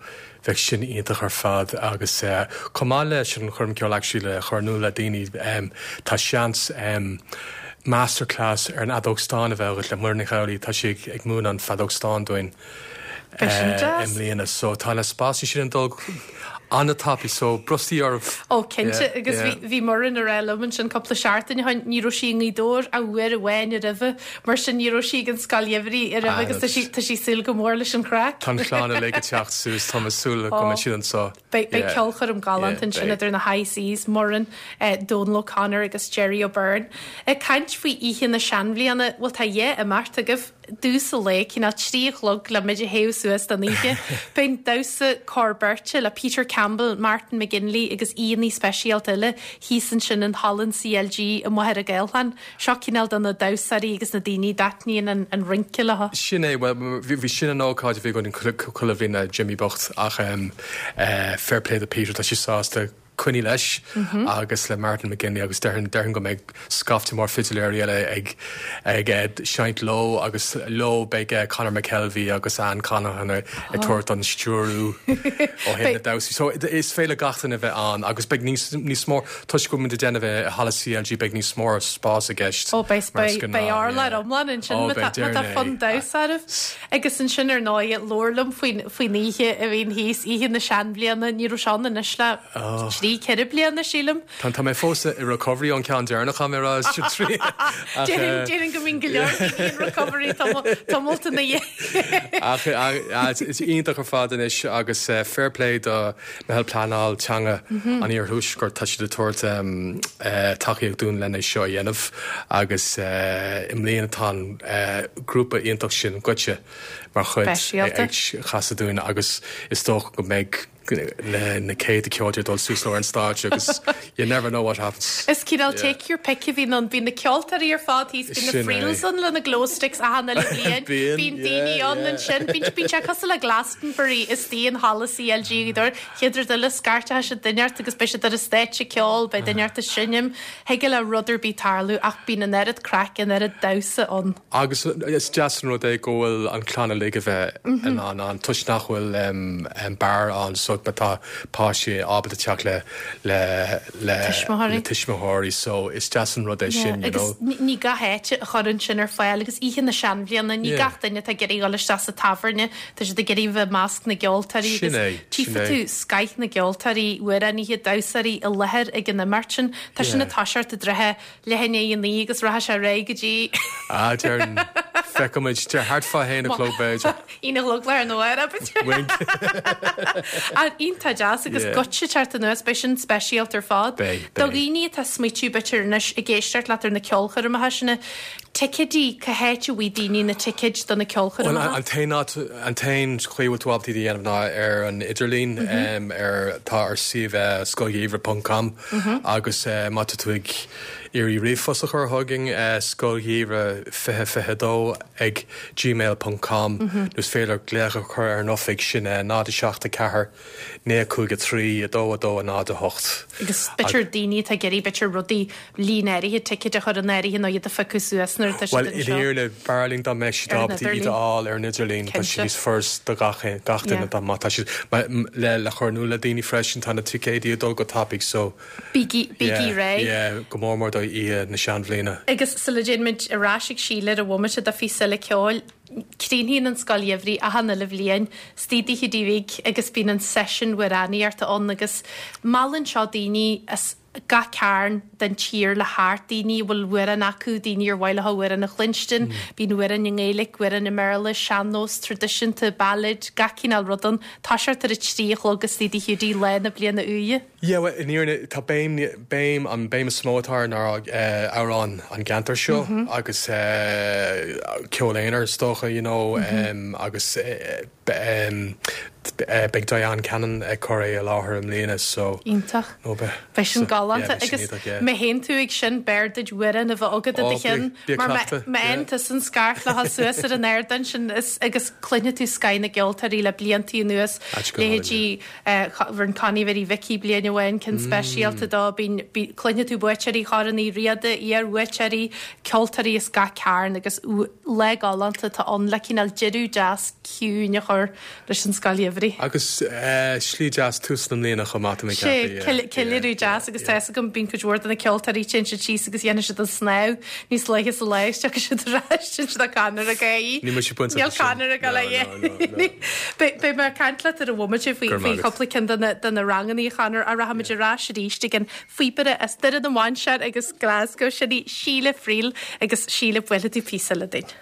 bheidh sin iontach ar fad agus chomh maith leis an choirm ceoil actually le chur in iúl le daoine tá seans masterclass ar an fheadóg stáin a bheith agat le Muireann Nic Amhlaoibh tá sí ag múineadh an feadóg stáin dúinn i mbliana so tá na spásaí sin ag dul an-tapaidh so brostaigh oraibh. Ó cinnte agus bhí Muireann ag rá liom ansin cúpla seachtain ó shin ní raibh sí i nGaoth Dobhair ach uair amháin roimhe mar sin ní raibh sí ag an Scoil Gheimhridh roimhe agus tá sí tá sí ag súil go mór leis an chraic. Tá an chlann uilig ag teacht suas tá mé ag súil go mbeidh siad anseo. Beidh beidh ceolchoirm galánta ansin idir na High Seas, Muireann, Donal O'Connor agus Jerry O'Beirne. Ag caint faoi oíche na seanbhliana, bhuel tá dhá imeacht agaibh i dtús an lae, cineál trí a chlog le muid a théamh suas don oíche. Beidh an damhsa cór beirte le Peter Campbell, Martin McGinley agus aíonna speisialta eile thíos ansin in Halla an CLG i Machaire Gathlán. Seo cineál do na damhsóirí agus na daoine a dtaitníonn an, an rince leo. Sin é, bhuel bhí sin an ócáid a bhí againn chuile bhliain le Jimmy bocht ach um, uh, fair play do Peter tá sé sásta coinneáil leis agus le Martin McGinley agus déarfainn déarfainn go mbeidh scaifte mór fidiléirí eile ag ag seinnt leo agus leo beidh Conor McKelvey agus Anne Conaghan ag tabhairt an stiúrú ó thaobh na damhsaí. So is féidir le gach duine bheith ann agus beidh níos níos mó toisc go bhfuil muid ag déanamh i halla CLG beidh níos mó spás i gceist. Ó beidh beidh urlár iomlán ansin má tá fonn damhsa oraibh. Agus ansin ar ndóigh labhair liom faoin faoin oíche a bhíonn thíos oíche na seanbhliana ní raibh sé ann anois le trí ceithre bliana sílim. Tá tá mé fós i recovery ón ceann deireanach mé rá trí. Déarfainn go mbíonn go leor daoine in recovery tamall ina dhiaidh. Ach is iontach ar fad anois agus fair play do Meitheal Pleanáil Teanga an Iarthuaiscirt tá siad ag tabhairt tacaíocht dúinn lena seo a dhéanamh agus i mbliana tá an grúpa iontach sin Goitse mar chuid ag casadh dúinn agus is dócha go mbeidh na na céadta ceoltóir dul suas ar an stáitse agus you never know what happens. Is cineál take your pick a bhíonn ann bíonn na ceoltóirí ar fad thíos bíonn na Friels ann le na glow sticks achan uile bhliain bíonn daoine ann ansin bíonn bíonn sé cosúil le Glastonbury istigh in halla CLG Ghaoth Dobhair chéad rud eile scairteoidh siad duine ort agus beidh siad ar an stáitse ag ceol beidh duine ort ag seinm thig le rud ar bith tarlú ach bíonn an oiread craic an oiread damhsa ann. Agus is deas an rud é go bhfuil an chlann uilig a bheith in ann ann toisc nach bhfuil um, bar ann so tá páistí ábalta teacht le le le Tuismitheoirí. le tuismitheoirí so is deas an rud é sin you agus know. ní gach áit a chuireann sin ar fáil agus oíche na seanbhliana ní Yeah. gach duine atá ag iarraidh dul isteach sa tábhairne tá siad ag iarraidh bheith i measc na gceoltóirí Sin agus é, sin tchífidh é. tú scoth na gceoltóirí amhránaithe damhsóirí i láthair ag an imeacht sin Tá sin Yeah. ag toiseacht i dtrátha leath i ndiaidh a naoi agus rachaidh sé ar aghaidh go dtí Ah déarfainn feicfimid deir thart fá haon a chlog b'fhéidir. Aon a chlog le nó ar Wink. Iontach deas agus Yeah. Goitse teacht anuas beidh sin speisialta ar fad. Beidh, Do beidh. dhaoine atá ag smaoitiú b'fhéidir anois ag éisteacht leat ar na ceolchoirmeacha sin ticéidí cá háit a bhfaighidh daoine na ticéid do na Well, ceolchoirmeacha. an t-aon an t-aon chaoi bhfuil tú ábalta iad a dhéanamh ná ar an idirlíon um, ar tá ar suíomh scoilgheimhridh.com agus uh, má tá tú ag iarraidh ríomhphost a chur chugainn uh, scoilgheimhridh fiche fiche dó ag gmail.com nó is féidir glaoch a chur ar an oifig sin uh, náid seacht a ceathair naoi cúig a trí a dó a dó a náid a hocht. Agus b'fhéidir daoine atá ag iarraidh b'fhéidir rudaí líon áirithe ticéid a chur in áirithe nó iad a phiocadh suas nuair atá Well siad i anseo. fhírinne b'fhearr linn dá mbeadh siad Ar an ábalta iad a idirlíon. fháil ar an idirlíon Tá sé Cinnte. níos furasta do gach gach duine Yeah. dá má tá siad le le chur in iúl le daoine freisin tá na ticéidí ag dul go tapaidh so Bígí bígí réidh. yeah, go mór mór do oíche na seanbhliana. Agus sula dtéimid ar ais ag Síle ar bhomaite do phíosa eile ceoil, críochnaíonn an Scoil Gheimhridh achan uile bhliain, istigh d'Oíche Dé Bhig agus bíonn an seisiún amhránaíochta ann agus meallann seo daoine as gach cearn den tír le theacht, daoine a bhfuil amhrán acu, daoine ar mhaith leo amhrán a chluinstin, bíonn amhráin i nGaeilge, amhráin i mBéarla, sean-nós, traidisiúnta, ballad, gach cineál rud ann. Toiseacht ar a trí a chlog istigh Dí Hiúdaí lá na bliana úire. Yeah, well, in fhírinne tá béim béim an béim is mó atá air ná eh, amhráin an gceantar seo agus eh, ceol aonair is dócha, you know, um, agus eh, be- um, eh, beidh Diane Cannon ag cur é i láthair i mbliana so Iontach. no, be- Beidh sin so, galánta yeah, beidh sin agus iontach, yeah. má théann tú ag sin b'fhearr duit amhrán a bheith agat i Oh, do cheann bí- bí mar cleachta, má yeah. théann tú san scairt le haghaidh suas ar an ardán sin is- agus cluinfidh tú scoth na gceoltóirí le blianta anuas Áit go hálainn, leithéidí rinne Connie Mhary Mhicí bliain amháin ceann speisialta dó bíonn bí- cluinfidh tú buaiteoirí Chorn Uí Riada, iar-bhuaiteoirí, ceoltóirí as gach cearn agus ú- lá galánta atá ann le cineál deireadh deas ciúin a chur leis an scoil gheimhridh. Agus eh, slí deas tús na mbliana chomh maith mé Sé ceiliúradh deas agus tá go bíonn cuid mhór de na ceoltóirí téann siad síos agus dhéanann siad an snámh níos luaithe sa lá isteach siad ar ais siad a Conor a gaí. Ní si buint Níl Conor ag le Beidh mé ag caint leat ar an bhomaite faoi Go raibh faoi maith agat. chúpla ceann de na- de na ranganna Conor a rachaimid ar ais arís ag an phíobaire as Doire na Mainsear agus Glasgow sin í Síle Friel agus Síle buailfidh tú píosa le duine.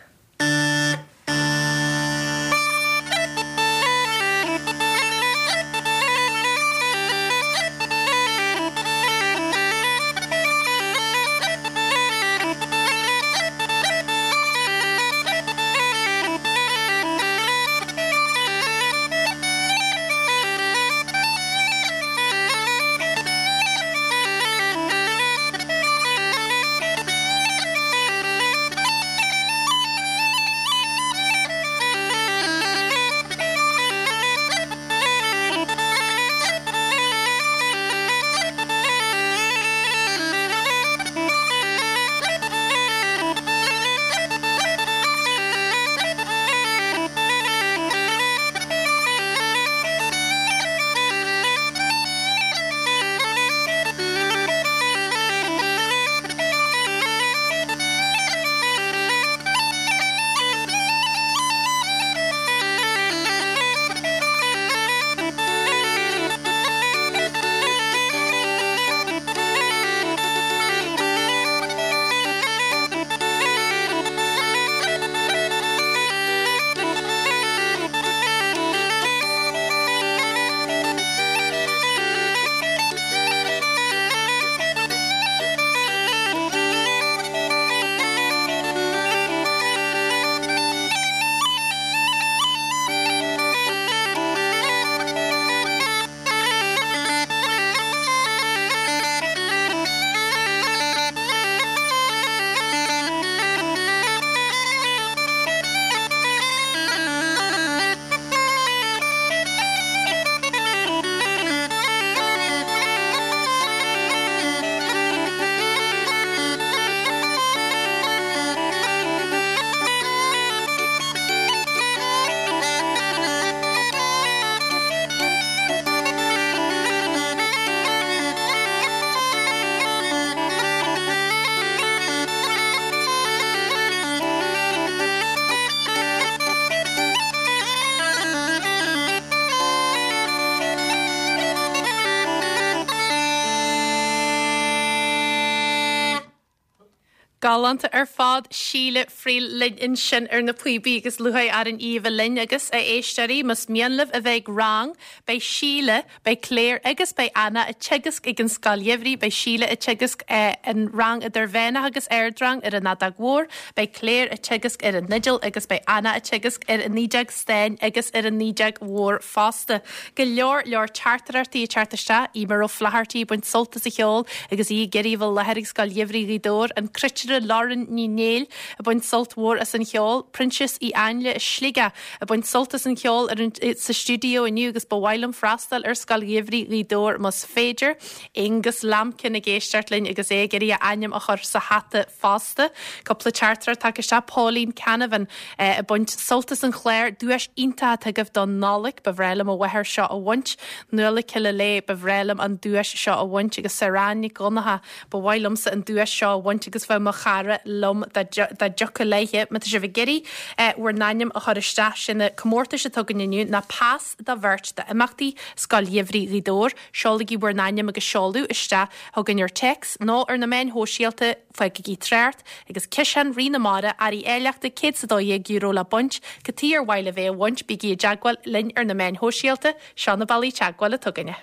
Galánta ar fad Síle Friel linn ansin ar na píobaí agus lúcháir orainn í a bheith linn agus a éisteoirí más mian libh a bheith ag rang, beidh Síle, beidh Claire agus beidh Anna ag teagasc ag an scoil gheimhridh, beidh Síle ag teagasc eh, an rang idirmheánach agus ardrang ar an fheadóg mhór, beidh Claire ag teagasc ar an fhidil agus beidh Anna ag teagasc ar an fhidil stáin agus ar an fheadóg mhór fosta. Go leor leor teachtaireachtaí ag teacht isteach, Eimear Ó Flathartaí ag baint sult as an cheol agus í ag iarraidh a bheith i láthair ag scoil gheimhridh Ghaoth Dobhair, an cruitire Lauren Ní Néill ag baint sult mhór as an cheol, Proinsias Uí Ainle i Sligeach ag baint sult as an cheol ar an, sa stiúideo inniu agus ba mhaith liom freastal ar scoil gheimhridh Ghaoth Dobhair más féidir. Angus Lampkin ag éisteacht linn agus é ag iarraidh a ainm a chur sa hata fosta. Cúpla teachtaireacht tagtha isteach Pauline Canavan eh, ag baint sult as an chlár duais iontach agaibh don Nollaig ba bhreá liom a mháthair seo a bhaint, Nuala Cille lé ba bhreá liom an duais seo a bhaint agus Saráine Gonnatha ba mhaith liomsa an duais seo a bhaint agus bheith mo chara liom dá dtiocfadh léithe má tá sibh ag iarraidh bhur n-ainm a chur isteach sin na comórtais atá againn inniu ná pas do bheirt d'imeachtaí Scoil Gheimhridh Ghaoth Dobhair, seolaigí bhur n-ainm agus seoladh isteach chugainn ar téacs nó ar na meáin shóisialta fágaigí trácht agus ciseán Rí na Mara earraí áilleachta céad is a dó dhéag euro le baint, cad chuige ar mhaith libh é a bhaint bígí i dteagmháil linn ar na meáin shóisialta, seo na bealaí teagmhála atá againne.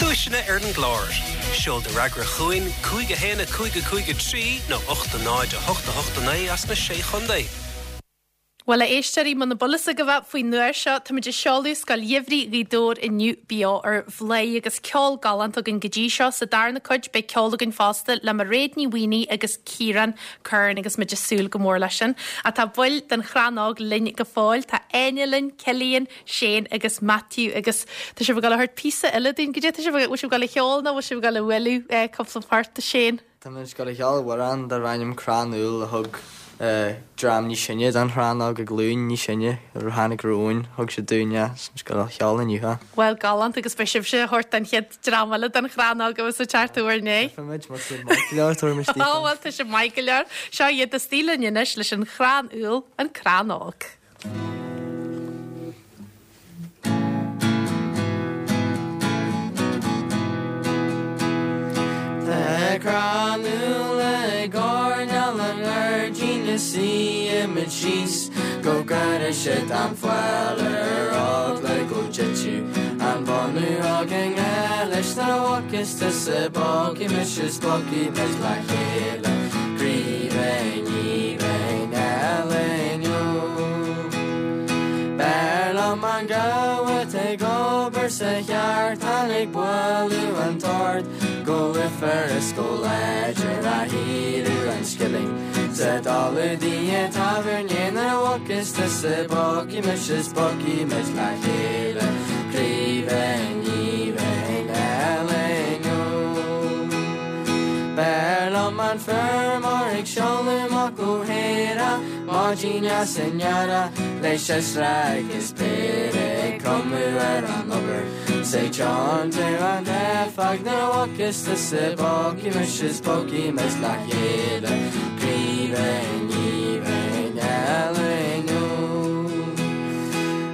Duaiseanna ar an gclár. Seol do fhreagra chugainn cúig a haon a cúig a cúig a trí nó ocht a náid a hocht a hocht a naoi as na Sé Chontae. Bhuel, a éisteoirí, muna bhfuil a fhios agaibh faoin uair seo, táimid ag seoladh Scoil Gheimhridh Ghaoth Dobhair inniu beo ar Bhladhaire agus ceol galánta againn go dtí seo. Sa darna cuid beidh ceol againn fosta le Mairéad Ní Mhaonaigh agus Ciarán Curran agus muid ag súil go mór leis sin. Ach tá baill den Chrann Óg linn go fóill, tá Áine linn, Cillian, Shane agus Matthew agus tá sibh ag dul a thabhairt píosa eile dúinn go dtí tá sibh bhfuil sibh ag dul a cheol nó bhfuil sibh ag dul a bhualadh cúpla port Shane. Tá muid ag dul a cheol amhrán darb ainm Crann Úll a thug dream níos sine den Chrann Óg an ghlúin níos sine a tháinig romhainn thug siad dúinn é is go cheol inniu. Well galánta agus beidh sibhse a thabhairt don chéad dream eile den Chrann Óg agus sa teart uair inné. Muid má siad maith go leor tuair Ó bhuel tá sibh maith go leor. Seo iad istigh linn anois leis an Chrann Úll an Crann Óg. Tá crann úll i gcoirnéal an ghairdín is suímid síos go gcuirfidh siad an fuil ar eagla go dtitfeadh an bunú againn leis nuair a bhogfas tusa bogfaidh mise is bogfaidh muid le chéile Croí ní bheinn eile inniu. B'fhearr liom an gabha ag obair sa cheártain ag bualadh an toirt go lúfar is go láidir a shaoradh an scilling sa dála dí tábhairne nuair a bhogfas tusa bogfaidh mise is bogfaidh muid le chéile Croí ní bheinn eile inniu. B'fhearr liom an feirmeoir ag seoladh muc ó Héire maidin dheas in earrach leis siosra agus péire ag cromadh ar an obair 's ag tiontú an teifeach nuair a bhogfas tusa bogfaidh mise is bogfaidh muid le chéile Croí ní bheinn eile inniu.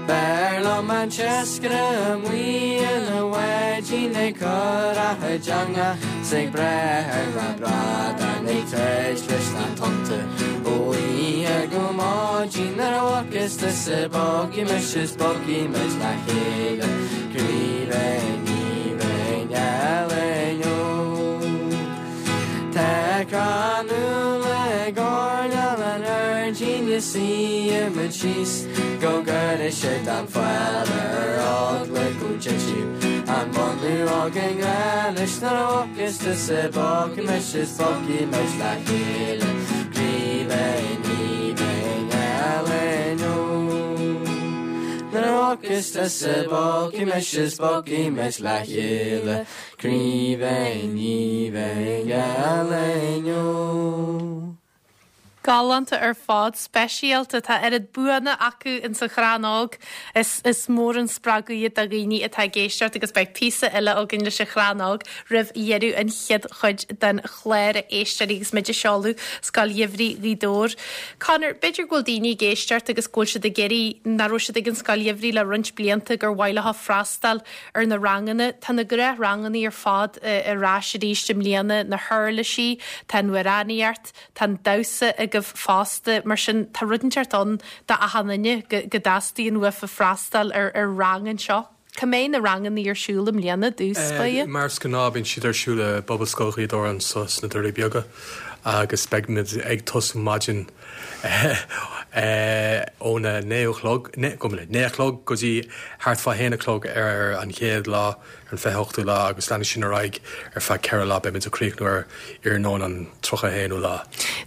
B'fhearr liom an t-iascaire amuigh ina bháidín ag cur a chuid eangach 's ag breith ar na bradáin ag troid leis na tonnta ó oíche go maidin nuair a bhogfas tusa bogfaidh mise is bogfaidh muid le chéile Croí ní bheinn eile inniu. Tá crann úll i gcoirnéal an ghairdín is suímid síos go gcuirfidh siad an fuil ar eagla go dtitfeadh an bunú againn leis nuair a bhogfas tusa bogfaidh mise is bogfaidh muid le chéile Croí ní bheinn eile inniu. Nuair a bhogfas tusa bogfaidh mise is bogfaidh muid le chéile Croí ní bheinn eile inniu. Galánta ar fad speisialta tá oiread buanna acu in sa Chrann Óg is is mór an spreagadh iad do dhaoine atá ag éisteacht agus beidh píosa eile againn leis an Chrann Óg roimh dheireadh an chéad chuid den chlár a éisteoirí agus muid ag seoladh Scoil Gheimhridh Ghaoth Dobhair. Conor, b'fhéidir go bhfuil daoine ag éisteacht agus go bhfuil siad ag iarraidh nach raibh siad ag an Scoil Gheimhridh le roinnt blianta gur mhaith leo freastal ar na ranganna. Tá na gnáthranganna ar fad ar ais arís i mbliana na huirlisí, tá an amhránaíocht, tá an damhsa agaibh fosta mar sin tá rud inteacht ann do achan duine go go dteastaíonn uafa freastal ar ar rang anseo. Cá mbeidh na ranganna ar siúl i mbliana dtús báire? Mar is gnáth bíonn siad ar siúl i bPobalscoil Ghaoth Dobhair anseo sna Doirí Beaga agus beidh muid ag tosú maidin óna naoi a chlog go naoi a chlog go dtí thart fá haon a chlog ar an chéad lá ar an fiche hochtú lá agus leanfaidh sin ar aghaidh ar feadh ceithre lá beimid ag críochnú ar iarnóin an tríocha haonú lá.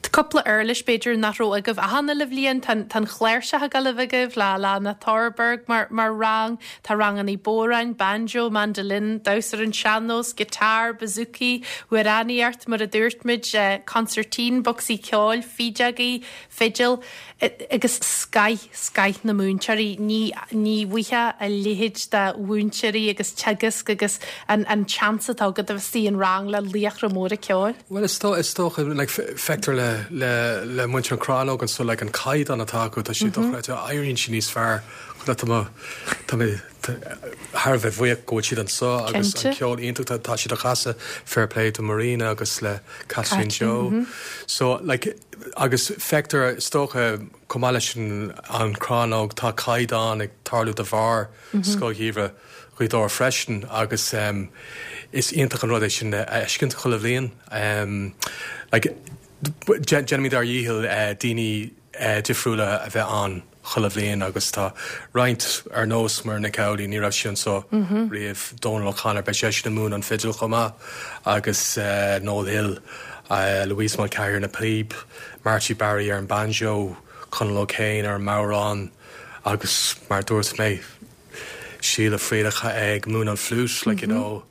Tá cúpla uirlis b'fhéidir nach raibh agaibh achan uile bhliain tá an chláirseach ag dul a bheith agaibh le le na Thorberg mar mar rang, tá ranganna bodhráin, banjo, mandolin, damhsa ar an sean-nós, guitar, bouzouki, amhránaíocht mar a dúirt muid, eh, concertina, bocsaí ceoil, fídeogaí, fidil agus scoth scoth na múinteoirí ní ní bhfaighfeá a leithéid de mhúinteoirí agus teagasc agus an an chance atá agat a bheith istigh in rang le laochra móra ceoil. Well is dó is dócha like feictear le le le muintir an Chrannóg anso like an caighdeán atá acu tá sé dochreidte éiríonn sí níos fearr tá mé tá mé thar a bheith buíoch go bhfuil siad anseo agus an ceol iontach tá siad a chasadh fair play to Marina agus le Kathleen Joe. So like agus feictear is dócha chomh maith leis an an Chrannóg tá caighdeán ag tarlú de bharr Scoil Gheimhridh Ghaoth Dobhair freisin agus um, is iontach an rud é sin a fheiscint chuile bhliain. Um, like, déanaimid ár ndícheall uh, daoine uh, difriúla a bheith ann chuile bhliain agus tá roinnt ar nós mar Nic Amhlaoibh ní raibh sí anseo mm -hmm. riamh Donal O'Connor beidh sé sin ag múineadh an fidil chomh maith agus uh, Noel Hill, uh, Louise Mulcahy na píb, Marty Barry ar an banjo, Conal O'Kane ar an mbodhrán agus mar dúirt mé Síle Friadach ag múineadh an flute like, mm -hmm. you know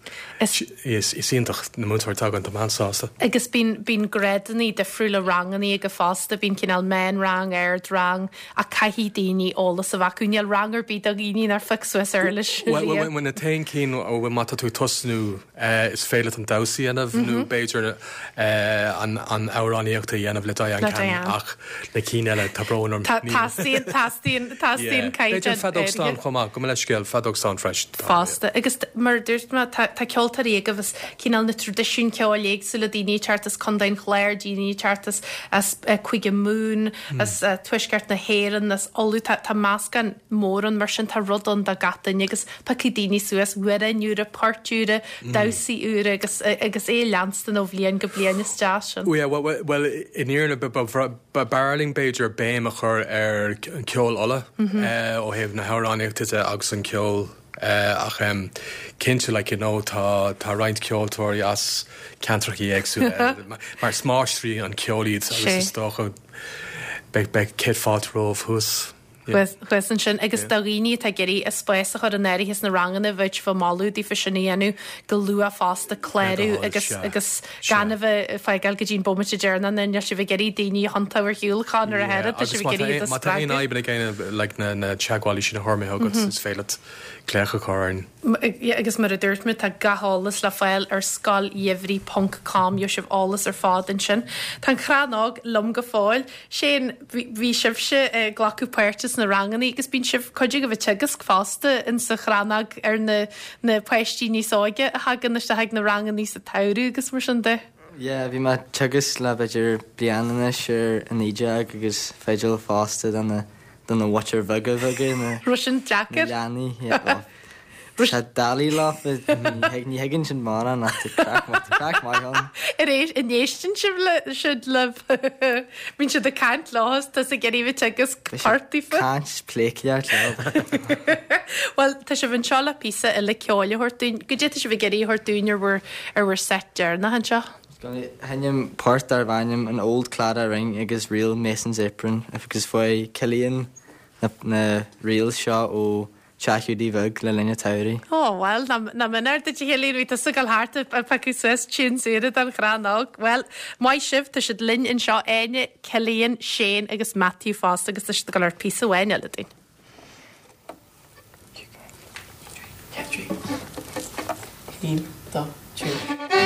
is is iontach na múinteoirí atá againn tá mé an-sásta. Agus bíonn bíonn grádanna difriúla ranganna aige fosta bíonn cineál meánrang ardrang a caithfidh daoine eolas a bheith acu níl rang ar bith do dhaoine nár phioc suas uirlis. Well na t-aon cinn ó má tá tú tosnú is féidir leat an damhsa a dhéanamh nó b'fhéidir an an amhránaíocht a dhéanamh le Diane Cannon ach na cinn eile tá brón orm. Teastaíonn teastaíonn teastaíonn caighdeán. B'fhéidir feadóg stáin chomh maith gabh mo leithscéal feadóg stáin freisin. Fosta agus mar dúirt mé tá ceoltóirí agaibh as cineál na traidisiúin ceoil éagsúla daoine ag teacht as Contae an Chláir, daoine ag teacht as as Cúige Mumhan, as Tuaisceart na hÉireann, as Uladh tá tá meascán mór ann mar sin tá rud ann do gach duine agus piocfaidh daoine suas amhráin úra, poirt úra, damhsaí úra agus agus é leanstan ó bhliain go bliain is deas sin. Yeah, well, well, in fhírinne b'fhearr linn b'fhéidir béim a chur ar an ceol Uladh ó thaobh na hamhránaíochta de agus an ceol ach cinnte like you know tá tá roinnt ceoltóirí as ceantracha éagsúla mar is máistrí an ceol iad agus is dócha beidh beidh céad fáilte romhaibh thuas. Thuas ansin agus do dhaoine atá ag iarraidh a spás a chur in áirithe sna ranganna bheadh sibh ag moladh daofa sin a dhéanamh go luath fosta clárú agus agus gan a bheith ag fágáil go dtí an bomaite deireanach nó níl sibh ag iarraidh daoine a thiontú ar shiúl chun ar a theitheadh tá sibh ag iarraidh iad a Má tá aon spreagadh. fhadhb ag éinne like na na teagmhálaí sin a chuir mé chugat is féidir leat glaoch a chur orainn. Agus mar a dúirt mé tá gach eolas le fáil ar scoil gheimhridh ponc com gheobhaidh sibh eolas ar fad ansin. Tá an Chrannóg liom go fóill. Shane, bhí sibhse ag glacadh páirte sna ranganna agus bíonn sibh cuid agaibh ag teagasc fosta in sa Chrannóg ar na na páistí níos óige a thagann isteach ag na ranganna sa tsamhradh agus mar sin de. Yeah, bhí mé ag teagasc le b'fhéidir bliain anois ar an fhídeog agus fidil fosta do na do na mhuintir bheaga bheaga na Raibh sin na deacair? leanaí. Yeah, well, Tá doiligh leofa ní thuigeann siad mórán ach tá craic tá craic maith ann. Ar éis an éisteann sibh le siad le bíonn siad ag caint leo is tá ag iarraidh bheith teagasc poirt daofa. Caint pléiceart leo. Well tá sibh anseo le píosa eile ceoil a thabhairt dúinn. Goidé tá sibh ag iarraidh a thabhairt dúinn ar bhur ar bhur set deireanach anseo. Sheinnim port darb ainm an Old Claddagh Ring agus Ríl Mason's Apron agus fuair Cillian na, na reels seo ó Teach Hiúdaí Bheag le linn an tsamhraidh. Ó, well, nach méanar duit a Chillian bhí tusa ag dul thart ag piocadh suas tunes úra don Chrannóg. Well, maith sibh, tá siad linn anseo Áine, Cillian, Shane agus Matthew fosta agus tá siad ag dul ar píosa amháin eile dúinn. Trí, haon, dó, trí.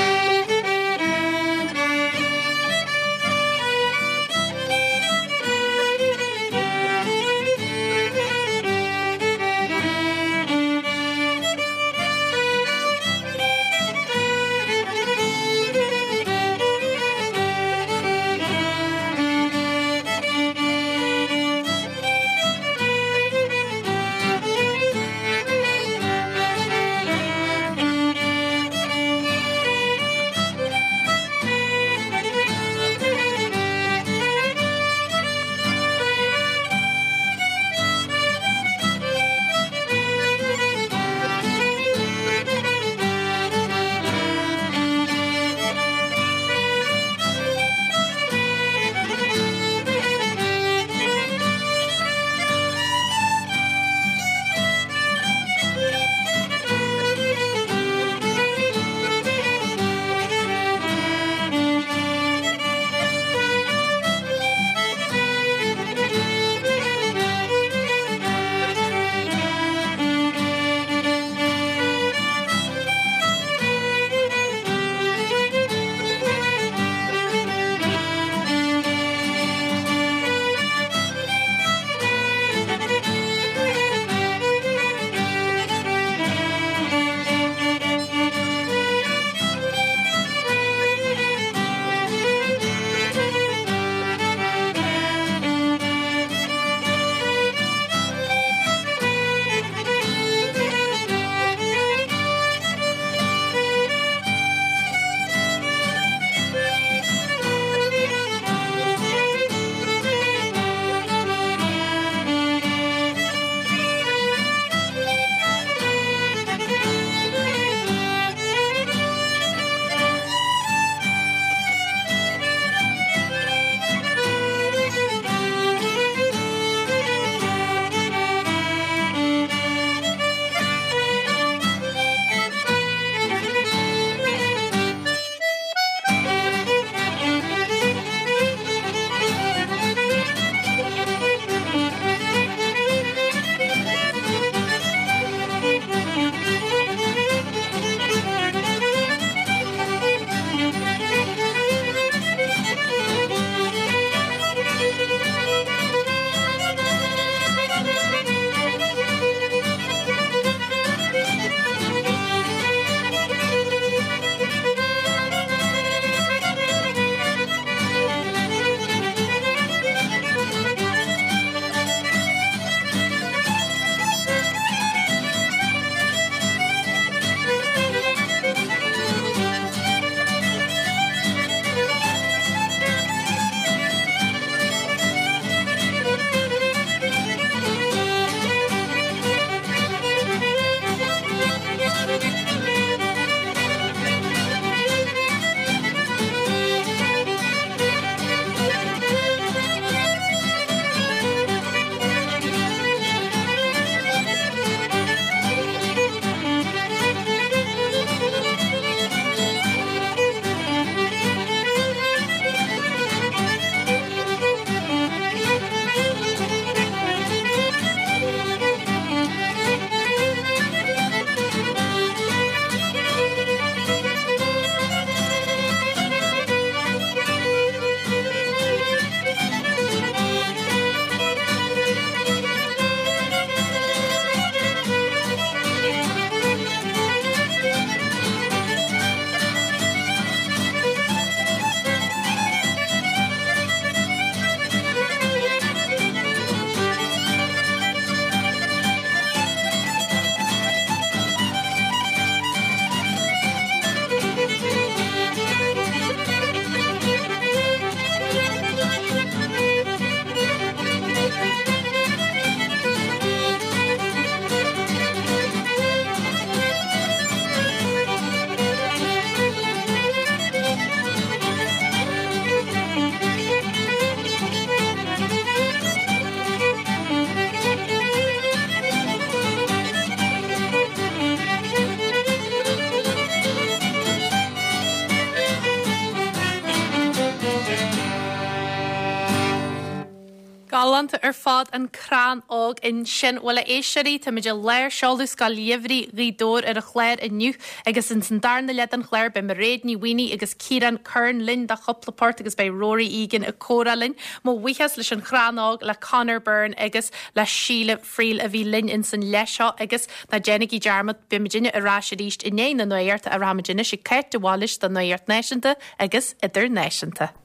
Galánta ar fad an Crann Óg ansin. Bhuel a éisteoirí, táimid i lár seoladh Scoil Gheimhridh Ghaoth Dobhair ar an chlár inniu agus ins an darna leath den chlár beidh Mairéad Ní Mhaonaigh agus Ciarán Curran linn do chúpla port agus beidh Rory Egan ag comhrá linn. Mo bhuíochas leis an Chrann Óg le Conor Byrne agus le Síle Friel a bhí linn ins an leath seo agus ná déanaigí dearmad beimidinne ar ais arís i ndiaidh na nuachta a rachaimid anois ag Cáit de Bhailís don Nuacht Náisiúnta agus Idirnáisiúnta.